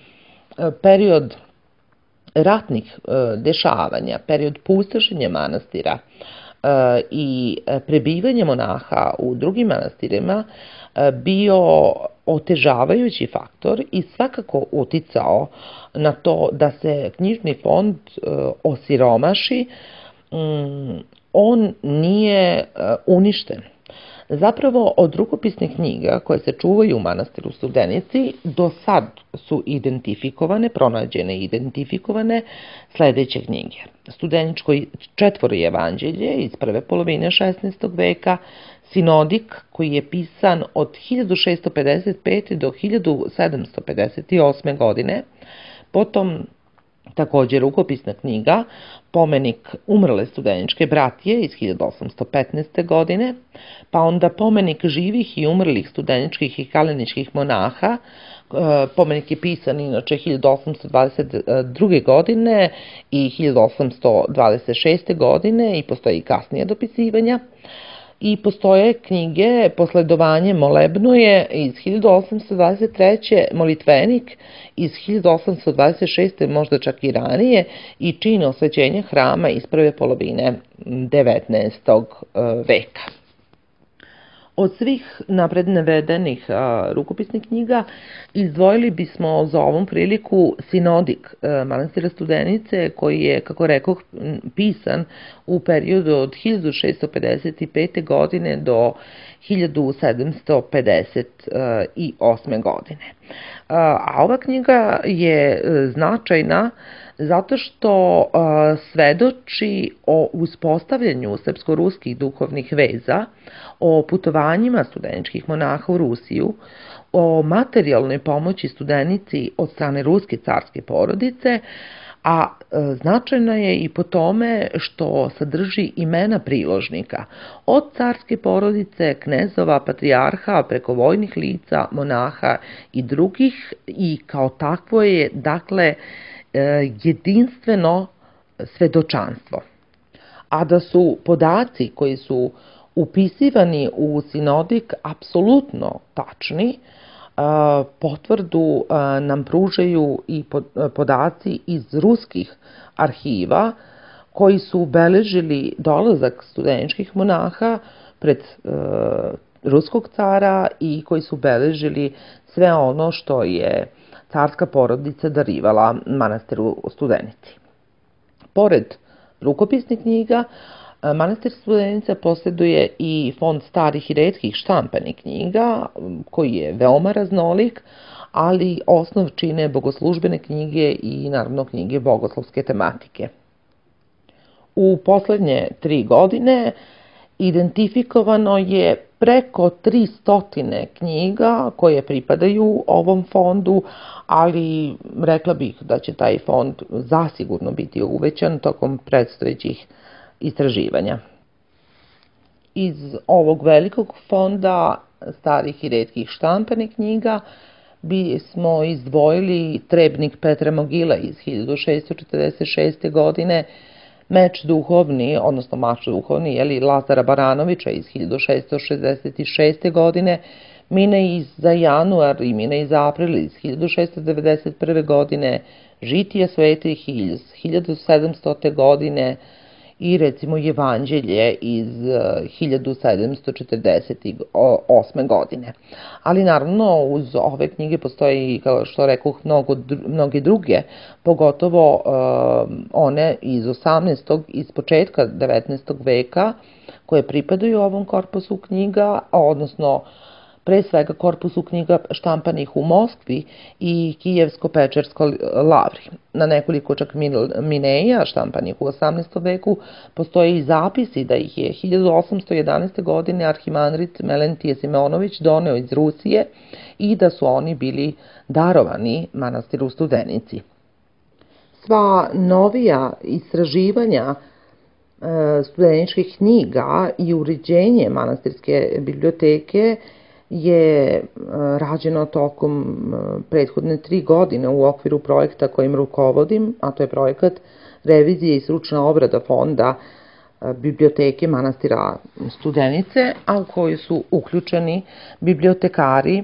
period ratnih dešavanja, period pustošenja manastira i prebivanje monaha u drugim manastirima bio otežavajući faktor i svakako uticao na to da se knjižni fond osiromaši, on nije uništen. Zapravo, od rukopisnih knjiga koje se čuvaju u manastiru Studenici do sad su identifikovane, pronađene i identifikovane sledeće knjige. Studeničko četvoro evanđelje iz prve polovine šesnaestog. veka, Sinodik koji je pisan od hiljadu šessto pedeset pete. do hiljadu sedamsto pedeset osme. godine, potom takođe rukopisna knjiga Pomenik umrle studeničke bratije iz hiljadu osamsto petnaeste. godine, pa onda Pomenik živih i umrlih studeničkih i kaleničkih monaha. Pomenik je pisan inače hiljadu osamsto dvadeset druge. godine i hiljadu osamsto dvadeset šeste. godine i postoji i kasnije dopisivanja. i postoje knjige Posledovanje molebnoje iz hiljadu osamsto dvadeset treće, Molitvenik iz hiljadu osamsto dvadeset šeste možda čak i ranije i Čin osvećenja hrama iz prve polovine devetnaestog veka. Od svih napred navedenih rukopisnih knjiga izdvojili bismo za ovom priliku Sinodik manastira Studenice, koji je, kako rekoh, pisan u periodu od hiljadu šeststo pedeset pete. godine do hiljadu sedamsto pedeset osme. godine. A ova knjiga je značajna zato što svedoči o uspostavljanju srpsko-ruskih duhovnih veza, o putovanjima studeničkih monaha u Rusiju, o materijalnoj pomoći studenici od strane ruske carske porodice, a značajna je i po tome što sadrži imena priložnika, od carske porodice, knezova, patrijarha, preko vojnih lica, monaha i drugih, i kao takvo je, dakle, jedinstveno svedočanstvo. A da su podaci koji su upisivani u Sinodik apsolutno tačni, potvrdu nam pružaju i podaci iz ruskih arhiva koji su beležili dolazak studeničkih monaha pred ruskog cara i koji su beležili sve ono što je carska porodica darivala manastiru Studenici. Pored rukopisnih knjiga, manastir Studenica posjeduje i fond starih i retkih štampanih knjiga, koji je veoma raznolik, ali osnov čine bogoslužbene knjige i naravno knjige bogoslovske tematike. U poslednje tri godine identifikovano je preko tristotine knjiga koje pripadaju ovom fondu, ali rekla bih da će taj fond zasigurno biti uvećan tokom predstojećih istraživanja. Iz ovog velikog fonda starih i retkih štampanih knjiga bismo izdvojili Trebnik Petra Mogila iz hiljadu šeststo četrdeset šeste. godine, Meč duhovni, odnosno Mač duhovni, jeli, Lazara Baranovića iz hiljadu šeststo šezdeset šeste. godine, Mine iz za januar i Mine iz april iz hiljadu šeststo devedeset prve. godine, Žitije svetih iz hiljadu sedamstote. godine i recimo Evanđelje iz hiljadu sedamsto četrdeset osme. godine. Ali naravno uz ove knjige postoji, kao što rekoh, mnogo, mnoge druge, pogotovo uh, one iz osamnaestog iz početka devetnaestog veka, koje pripadaju ovom korpusu knjiga, odnosno pre svega korpusu knjiga štampanih u Moskvi i Kijevsko-Pečerskoj lavri. Na nekoliko čak mineja štampanih u osamnaestom veku postoje i zapisi da ih je hiljadu osamsto jedanaeste. godine arhimandrit Melentije Simeonović doneo iz Rusije i da su oni bili darovani manastiru Studenici. Sva novija istraživanja studeničkih knjiga i uređenje manastirske biblioteke je rađeno tokom prethodne tri godine u okviru projekta kojim rukovodim, a to je projekat revizije i stručna obrada fonda biblioteke manastira Studenice, a u kojoj su uključeni bibliotekari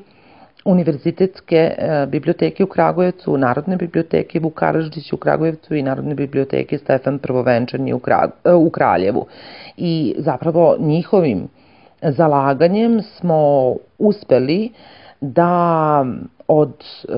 Univerzitetske biblioteke u Kragujevcu, Narodne biblioteke Vuk Karadžić u Kragujevcu i Narodne biblioteke Stefan Prvovenčani u Kraljevu. I zapravo njihovim zalaganjem smo uspeli da od e,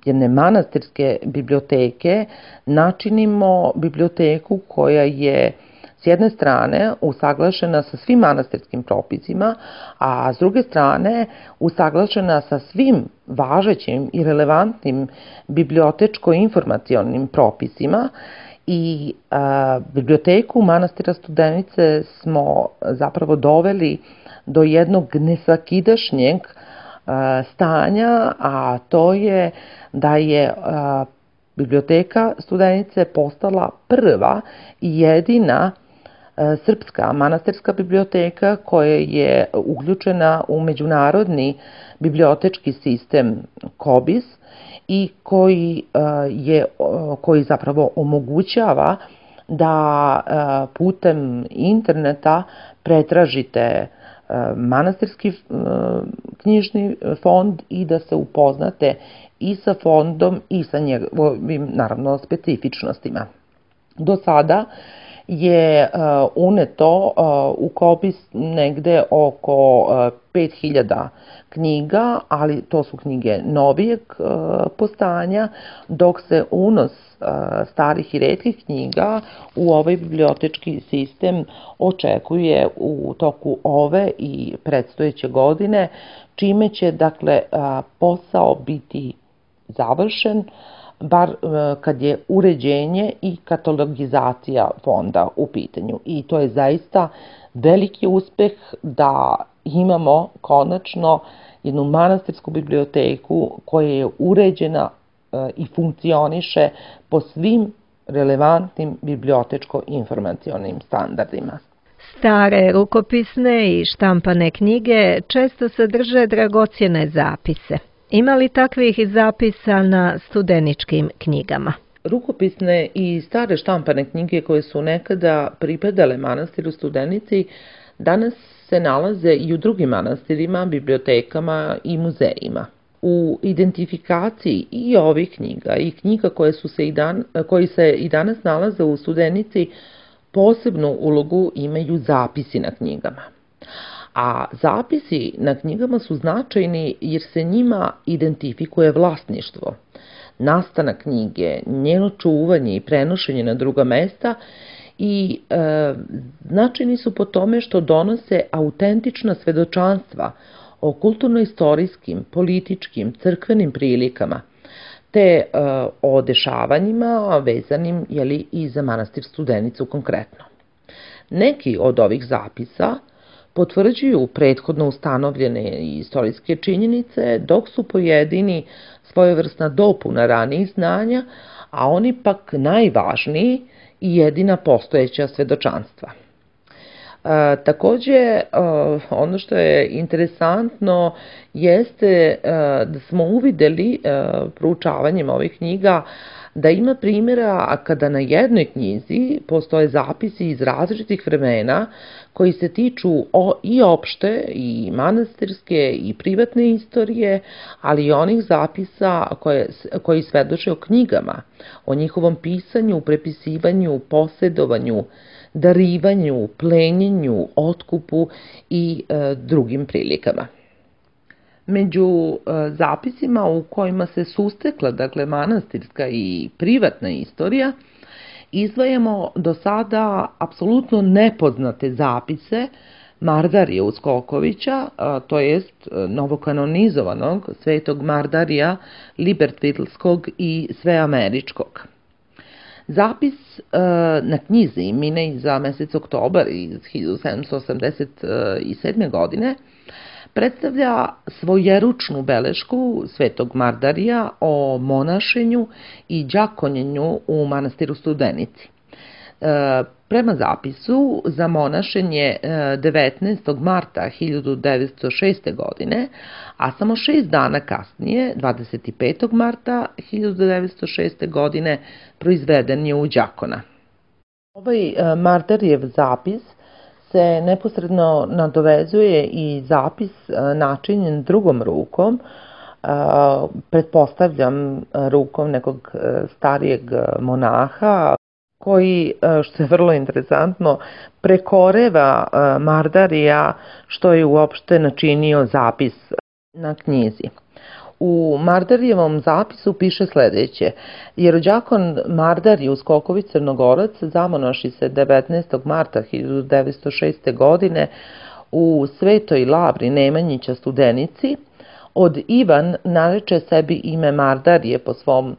jedne manastirske biblioteke načinimo biblioteku koja je s jedne strane usaglašena sa svim manastirskim propisima, a s druge strane usaglašena sa svim važećim i relevantnim bibliotečko-informacionim propisima. I a, biblioteku manastira Studenice smo zapravo doveli do jednog nesvakidašnjeg a, stanja, a to je da je a, biblioteka Studenice postala prva i jedina a, srpska manastirska biblioteka koja je uključena u međunarodni bibliotečki sistem KOBIS i koji, je, koji zapravo omogućava da putem interneta pretražite manastirski knjižni fond i da se upoznate i sa fondom i sa njegovim, naravno, specifičnostima. Do sada je uneto u Kopis negde oko pet hiljada knjiga, ali to su knjige novijeg postojanja, dok se unos starih i retkih knjiga u ovaj bibliotečki sistem očekuje u toku ove i predstojeće godine, čime će, dakle, posao biti završen, bar kad je uređenje i katalogizacija fonda u pitanju. I to je zaista veliki uspeh da imamo konačno jednu manastirsku biblioteku koja je uređena i funkcioniše po svim relevantnim bibliotečko-informacionim standardima. Stare rukopisne i štampane knjige često sadrže dragocjene zapise. Ima li takvih zapisa na studeničkim knjigama? Rukopisne i stare štampane knjige koje su nekada pripadale manastiru Studenici danas se nalaze i u drugim manastirima, bibliotekama i muzejima. U identifikaciji i ovih knjiga i knjiga koje, su se i dan, koji se i danas nalaze u Studenici posebnu ulogu imaju zapisi na knjigama. A zapisi na knjigama su značajni jer se njima identifikuje vlasništvo, nastanak knjige, njeno čuvanje i prenošenje na druga mesta i e, značajni su po tome što donose autentična svedočanstva o kulturno-istorijskim, političkim, crkvenim prilikama, te e, o dešavanjima vezanim, jeli, i za manastir Studenicu konkretno. Neki od ovih zapisa potvrđuju prethodno ustanovljene istorijske činjenice, dok su pojedini svojevrsna dopuna ranijih znanja, a oni pak najvažniji i jedina postojeća svedočanstva. E, takođe, e, ono što je interesantno jeste e, da smo uvideli e, proučavanjem ovih knjiga da ima primjera kada na jednoj knjizi postoje zapisi iz različitih vremena koji se tiču o, i opšte i manastirske i privatne istorije, ali i onih zapisa koje, koji svedoče o knjigama, o njihovom pisanju, prepisivanju, posjedovanju, darivanju, plenjenju, otkupu i e, drugim prilikama. Među e, zapisima u kojima se sustekla, dakle, manastirska i privatna istorija, izdvajamo do sada apsolutno nepoznate zapise Mardarija Uskokovića, to jest novokanonizovanog svetog Mardarija Libertvilskog i Sveameričkog. Zapis e, na knjizi Minej za mesec oktobar iz hiljadu sedamsto osamdeset sedme. godine predstavlja svojeručnu belešku svetog Mardarija o monašenju i đakonjenju u manastiru Studenici. E, prema zapisu, za monašenje devetnaestog marta hiljadu devetsto šeste. godine, a samo šest dana kasnije, dvadeset petog marta hiljadu devetsto šeste. godine, proizveden je u đakona. Ovaj Mardarijev zapis se neposredno nadovezuje i zapis načinjen drugom rukom, pretpostavljam rukom nekog starijeg monaha, koji, što je vrlo interesantno, prekoreva Mardarija što je uopšte načinio zapis na knjizi. U Mardarijevom zapisu piše sledeće: Jerođakon Mardarij Uskoković Crnogorac zamonaši se devetnaestog marta hiljadu devetsto šeste. godine u Svetoj Lavri Nemanjića Studenici. Od Ivan nareče sebi ime Mardarije po svom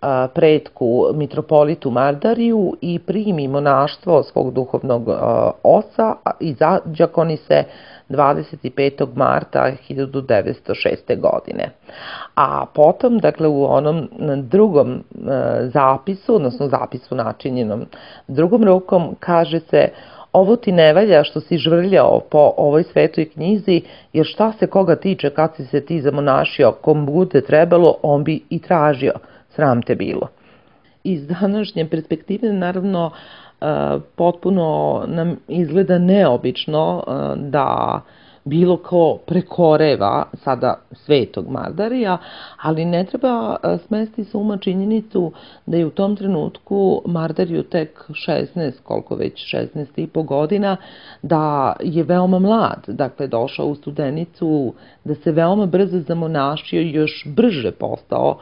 a, pretku mitropolitu Mardariju i primi monaštvo svog duhovnog a, oca i zađakoni se dvadeset petog marta hiljadu devetsto šeste. godine. A potom, dakle, u onom drugom e, zapisu, odnosno zapisu načinjenom drugom rukom, kaže se: ovo ti ne valja što si žvrljao po ovoj svetoj knjizi, jer šta se koga tiče kad si se ti zamonašio, kom bude trebalo, on bi i tražio, sram te bilo. Iz današnje perspektive, naravno, potpuno nam izgleda neobično da bilo ko prekoreva sada Svetog Mardarija, ali ne treba smesti sa uma činjenicu da je u tom trenutku Mardariju tek šesnaest, koliko već, šesnaest i po godina, da je veoma mlad, dakle došao u Studenicu, da se veoma brzo zamonašio i još brže postao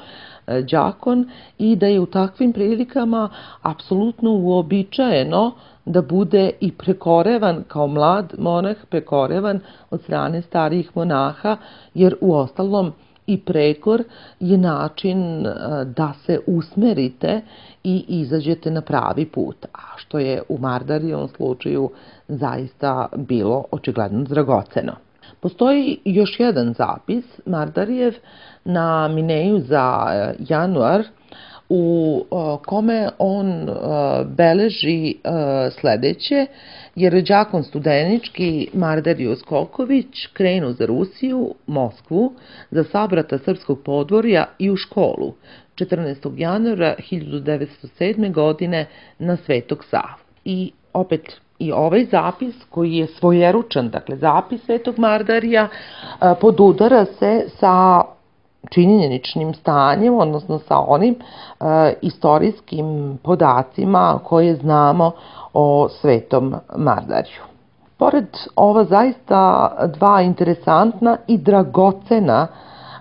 đakon i da je u takvim prilikama apsolutno uobičajeno da bude i prekorevan kao mlad monah, prekorevan od strane starijih monaha, jer u ostalom i prekor je način da se usmerite i izađete na pravi put, a što je u Mardarijevom slučaju zaista bilo očigledno dragoceno. Postoji još jedan zapis Mardarijev na Mineju za januar, u kome on beleži sledeće, jer đakon studenički Mardarije Skoković krenu za Rusiju, Moskvu, za sabrata srpskog podvorja i u školu četrnaestog januara hiljadu devetsto sedme. godine na Svetog Savu. I opet i ovaj zapis koji je svojeručan, dakle zapis Svetog Mardarija, podudara se sa činjeničnim stanjem, odnosno sa onim e, istorijskim podacima koje znamo o Svetom Mardariju. Pored ova zaista dva interesantna i dragocena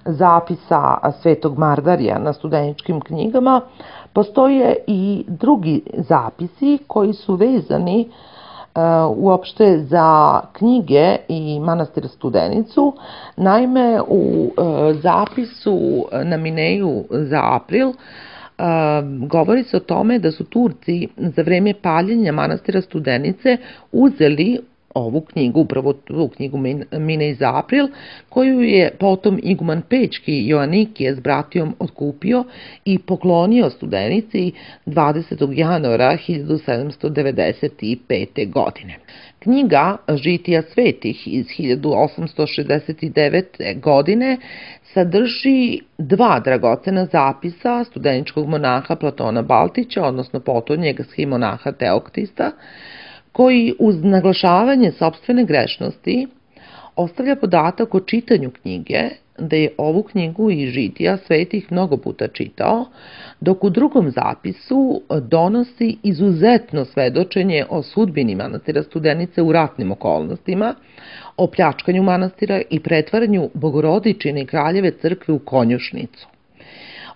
zapisa Svetog Mardarija na studeničkim knjigama, postoje i drugi zapisi koji su vezani uopšte za knjige i manastir Studenicu. Naime, u zapisu na Mineju za april govori se o tome da su Turci za vreme paljenja manastira Studenice uzeli ovu knjigu, upravo tu knjigu Minej za april, koju je potom iguman Pećki Joanikije s bratijom otkupio i poklonio Studenici dvadesetog januara hiljadu sedamsto devedeset pete. godine. Knjiga Žitija svetih iz hiljadu osamsto šezdeset devete. godine sadrži dva dragocena zapisa studeničkog monaha Platona Baltića, odnosno potonjeg schimonaha Teoktista, koji uz naglašavanje sopstvene grešnosti ostavlja podatak o čitanju knjige, da je ovu knjigu i Žitija svetih mnogo puta čitao, dok u drugom zapisu donosi izuzetno svedočenje o sudbini manastira Studenice u ratnim okolnostima, o pljačkanju manastira i pretvaranju Bogorodičine i Kraljeve crkve u konjušnicu.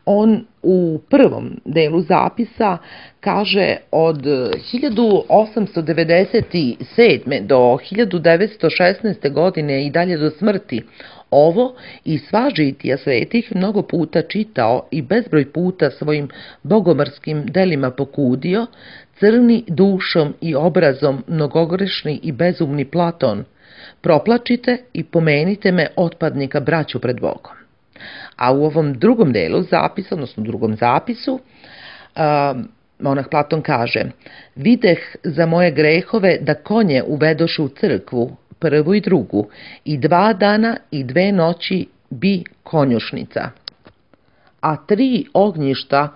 On u prvom delu zapisa kaže od hiljadu osamsto devedeset sedme. do hiljadu devetsto šesnaeste. godine i dalje do smrti ovo i sva žitija svetih mnogo puta čitao i bezbroj puta svojim bogomorskim delima pokudio, crni dušom i obrazom mnogogrešni i bezumni Platon, proplačite i pomenite me otpadnika braću pred Bogom. A u ovom drugom delu zapisa, odnosno drugom zapisu, monah Platon kaže: videh za moje grehove da konje uvedoše u crkvu, prvu i drugu, i dva dana i dve noći bi konjušnica. A tri ognjišta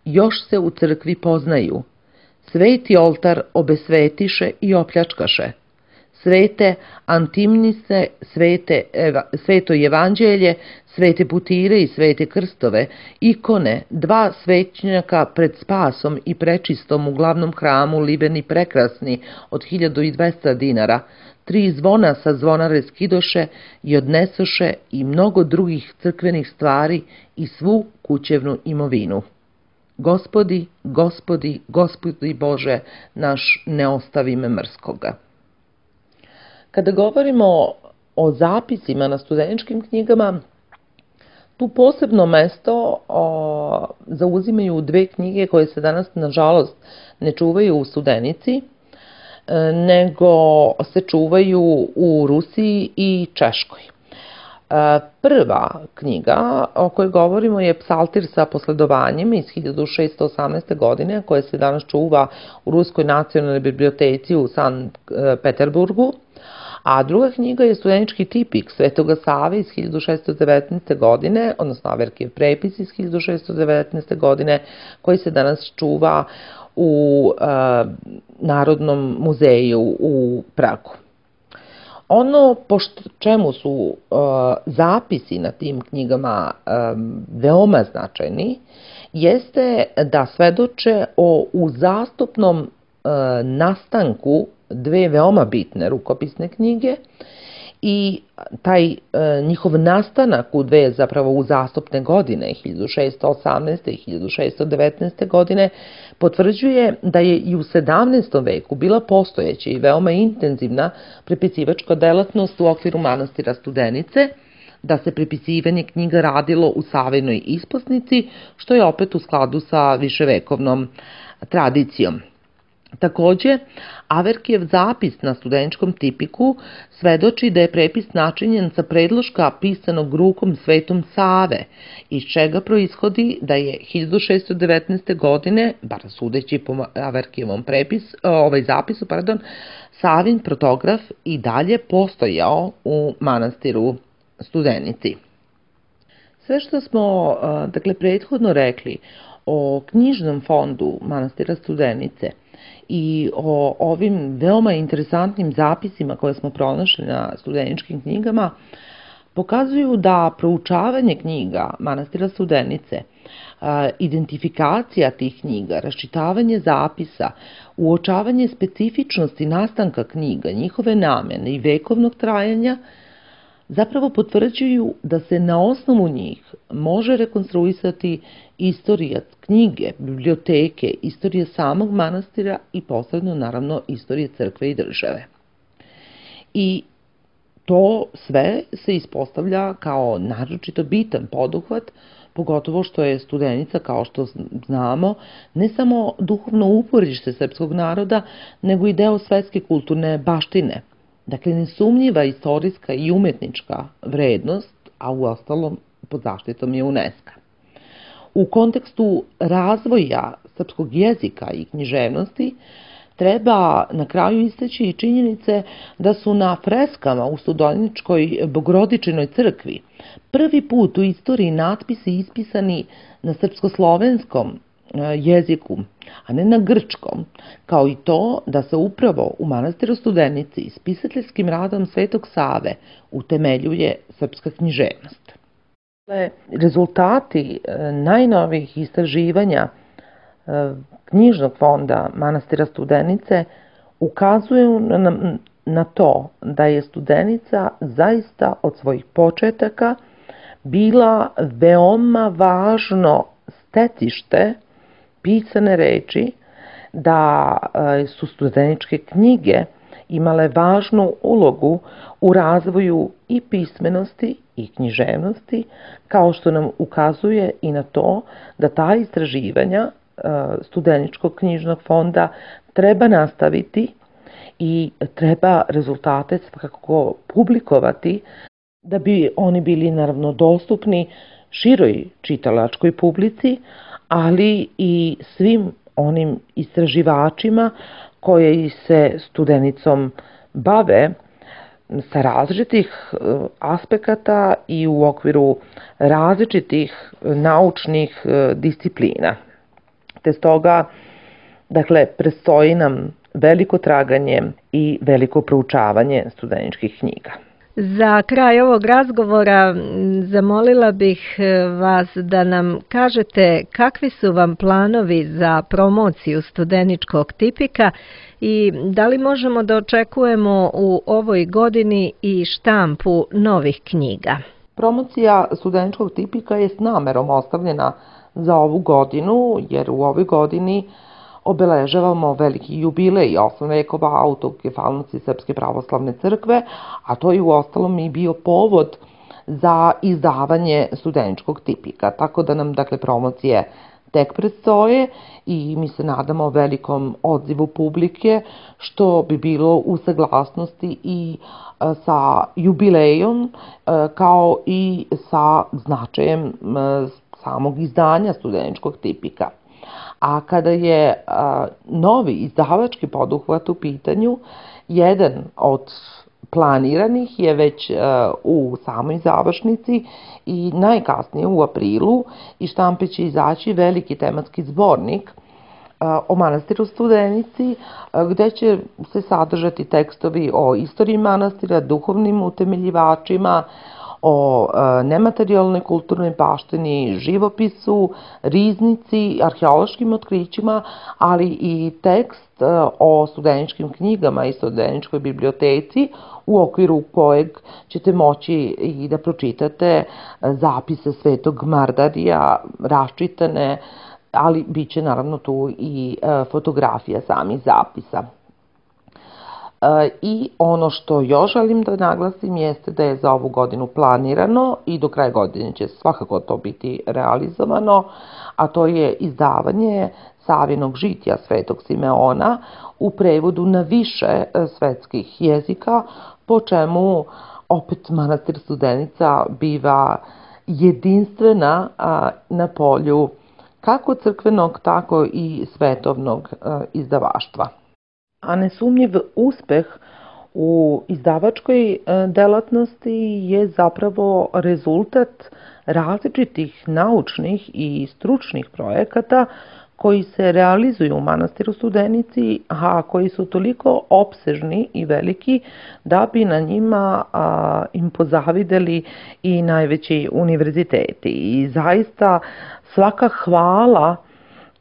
još se u crkvi poznaju. Sveti oltar obesvetiše i opljačkaše. Svete antimnise, svete, sveto evanđelje, svete putire i svete krstove, ikone, dva svećnjaka pred spasom i prečistom u glavnom hramu libeni prekrasni od hiljadu dvesta dinara, tri zvona sa zvonare skidoše i odnesoše i mnogo drugih crkvenih stvari i svu kućevnu imovinu. Gospodi, gospodi, gospodi Bože, naš ne ostavi me mrskoga. Kada govorimo o zapisima na studeničkim knjigama, tu posebno mesto o, zauzimaju dve knjige koje se danas, nažalost, ne čuvaju u Studenici, nego se čuvaju u Rusiji i Češkoj. Prva knjiga o kojoj govorimo je Psaltir sa posledovanjem iz hiljadu šeststo osamnaeste. godine, koja se danas čuva u Ruskoj nacionalnoj biblioteci u Sankt Peterburgu, A druga knjiga je studenički tipik Svetoga Save iz hiljadu šeststo devetnaeste. godine, odnosno Averkijev prepis iz hiljadu šeststo devetnaeste. godine, koji se danas čuva u uh, Narodnom muzeju u Pragu. Ono po čemu su uh, zapisi na tim knjigama um, veoma značajni, jeste da svedoče o uzastopnom uh, nastanku dve veoma bitne rukopisne knjige i taj e, njihov nastanak u dve zapravo uzastopne godine, hiljadu šeststo osamnaeste. i hiljadu šeststo devetnaeste. godine, potvrđuje da je i u sedamnaestom veku bila postojeća i veoma intenzivna prepisivačka delatnost u okviru manastira Studenice, da se prepisivanje knjiga radilo u Savinoj isposnici, što je opet u skladu sa viševekovnom tradicijom. Takođe, Averkijev zapis na studeničkom tipiku svedoči da je prepis načinjen sa predloška pisanog rukom Svetom Save, iz čega proishodi da je hiljadu šeststo devetnaeste. godine, bar sudeći po Averkijevom prepis, ovaj zapisu, pardon, Savin protograf i dalje postojao u manastiru Studenici. Sve što smo, dakle, prethodno rekli o knjižnom fondu manastira Studenice i o ovim veoma interesantnim zapisima koje smo pronašli na studeničkim knjigama, pokazuju da proučavanje knjiga manastira Studenice, identifikacija tih knjiga, raščitavanje zapisa, uočavanje specifičnosti nastanka knjiga, njihove namene i vekovnog trajanja, zapravo potvrđuju da se na osnovu njih može rekonstruisati istorija knjige, biblioteke, istorija samog manastira i posebno, naravno, istorije crkve i države. I to sve se ispostavlja kao naročito bitan poduhvat, pogotovo što je Studenica, kao što znamo, ne samo duhovno uporište srpskog naroda, nego i deo svetske kulturne baštine. Dakle, nesumnjiva istorijska i umetnička vrednost, a u ostalom pod zaštitom je UNESCO. U kontekstu razvoja srpskog jezika i književnosti treba na kraju istaći i činjenice da su na freskama u Studeničkoj Bogorodičinoj crkvi prvi put u istoriji natpisi ispisani na srpsko-slovenskom jeziku, a ne na grčkom, kao i to da se upravo u manastiru Studenici spisateljskim radom Svetog Save utemeljuje srpska književnost. Rezultati najnovijih istraživanja knjižnog fonda manastira Studenice ukazuju na, na to da je Studenica zaista od svojih početaka bila veoma važno stecište pisane reči, da su studeničke knjige imale važnu ulogu u razvoju i pismenosti i književnosti, kao što nam ukazuje i na to da ta istraživanja Studeničkog knjižnog fonda treba nastaviti i treba rezultate svakako publikovati, da bi oni bili naravno dostupni široj čitalačkoj publici, ali i svim onim istraživačima koji se Studenicom bave sa različitih aspekata i u okviru različitih naučnih disciplina. Te stoga, dakle, predstoji nam veliko traganje i veliko proučavanje studeničkih knjiga. Za kraj ovog razgovora zamolila bih vas da nam kažete kakvi su vam planovi za promociju studeničkog tipika i da li možemo da očekujemo u ovoj godini i štampu novih knjiga. Promocija studeničkog tipika je s namerom ostavljena za ovu godinu, jer u ovoj godini obeležavamo veliki jubilej osam vekova autokefalnosti Srpske pravoslavne crkve, a to je u ostalom i bio povod za izdavanje studeničkog tipika. Tako da nam, dakle, promocije tek predstoje i mi se nadamo velikom odzivu publike, što bi bilo u saglasnosti i sa jubilejom, kao i sa značajem samog izdanja studeničkog tipika. A kada je a, novi izdavački poduhvat u pitanju, jedan od planiranih je već u samoj završnici i najkasnije u aprilu iz štampe će izaći veliki tematski zbornik o manastiru Studenici, gde će se sadržati tekstovi o istoriji manastira, duhovnim utemeljivačima, o nematerijalnoj kulturnoj baštini, živopisu, riznici, arheološkim otkrićima, ali i tekst o studeničkim knjigama i studeničkoj biblioteci, u okviru kojeg ćete moći i da pročitate zapise Svetog Mardarija, raščitane, ali bit će naravno tu i fotografija samih zapisa. I ono što još želim da naglasim jeste da je za ovu godinu planirano i do kraja godine će svakako to biti realizovano, a to je izdavanje Savinog žitija Svetog Simeona u prevodu na više svetskih jezika, po čemu opet manastir Studenica biva jedinstvena na polju kako crkvenog, tako i svetovnog izdavaštva. A nesumnjiv uspeh u izdavačkoj delatnosti je zapravo rezultat različitih naučnih i stručnih projekata koji se realizuju u manastiru Studenici, a koji su toliko opsežni i veliki da bi na njima a, im pozavideli i najveći univerziteti. I zaista svaka hvala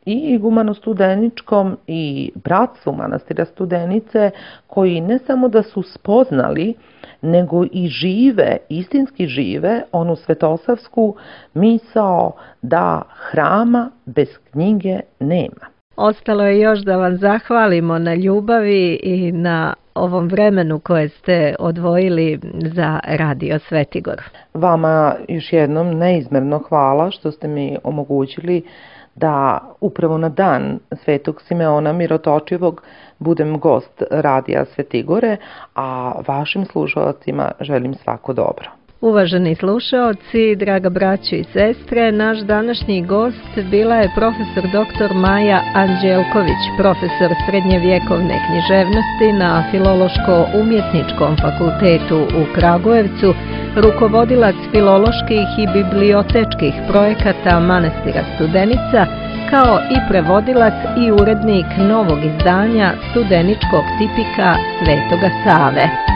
i igumano-studeničkom i bratstvu manastira Studenice, koji ne samo da su spoznali, nego i žive, istinski žive, onu svetosavsku misao da hrama bez knjige nema. Ostalo je još da vam zahvalimo na ljubavi i na ovom vremenu koje ste odvojili za Radio Svetigor. Vama još jednom neizmerno hvala što ste mi omogućili da upravo na dan Svetog Simeona Mirotočivog budem gost Radija Svetigore, a vašim slušalcima želim svako dobro. Uvaženi slušaoci, draga braćo i sestre, naš današnji gost bila je profesor doktor Maja Anđelković, profesor srednjevjekovne književnosti na Filološko-umjetničkom fakultetu u Kragujevcu, rukovodilac filoloških i bibliotečkih projekata manastira Studenica, kao i prevodilac i urednik novog izdanja studeničkog tipika Svetoga Save.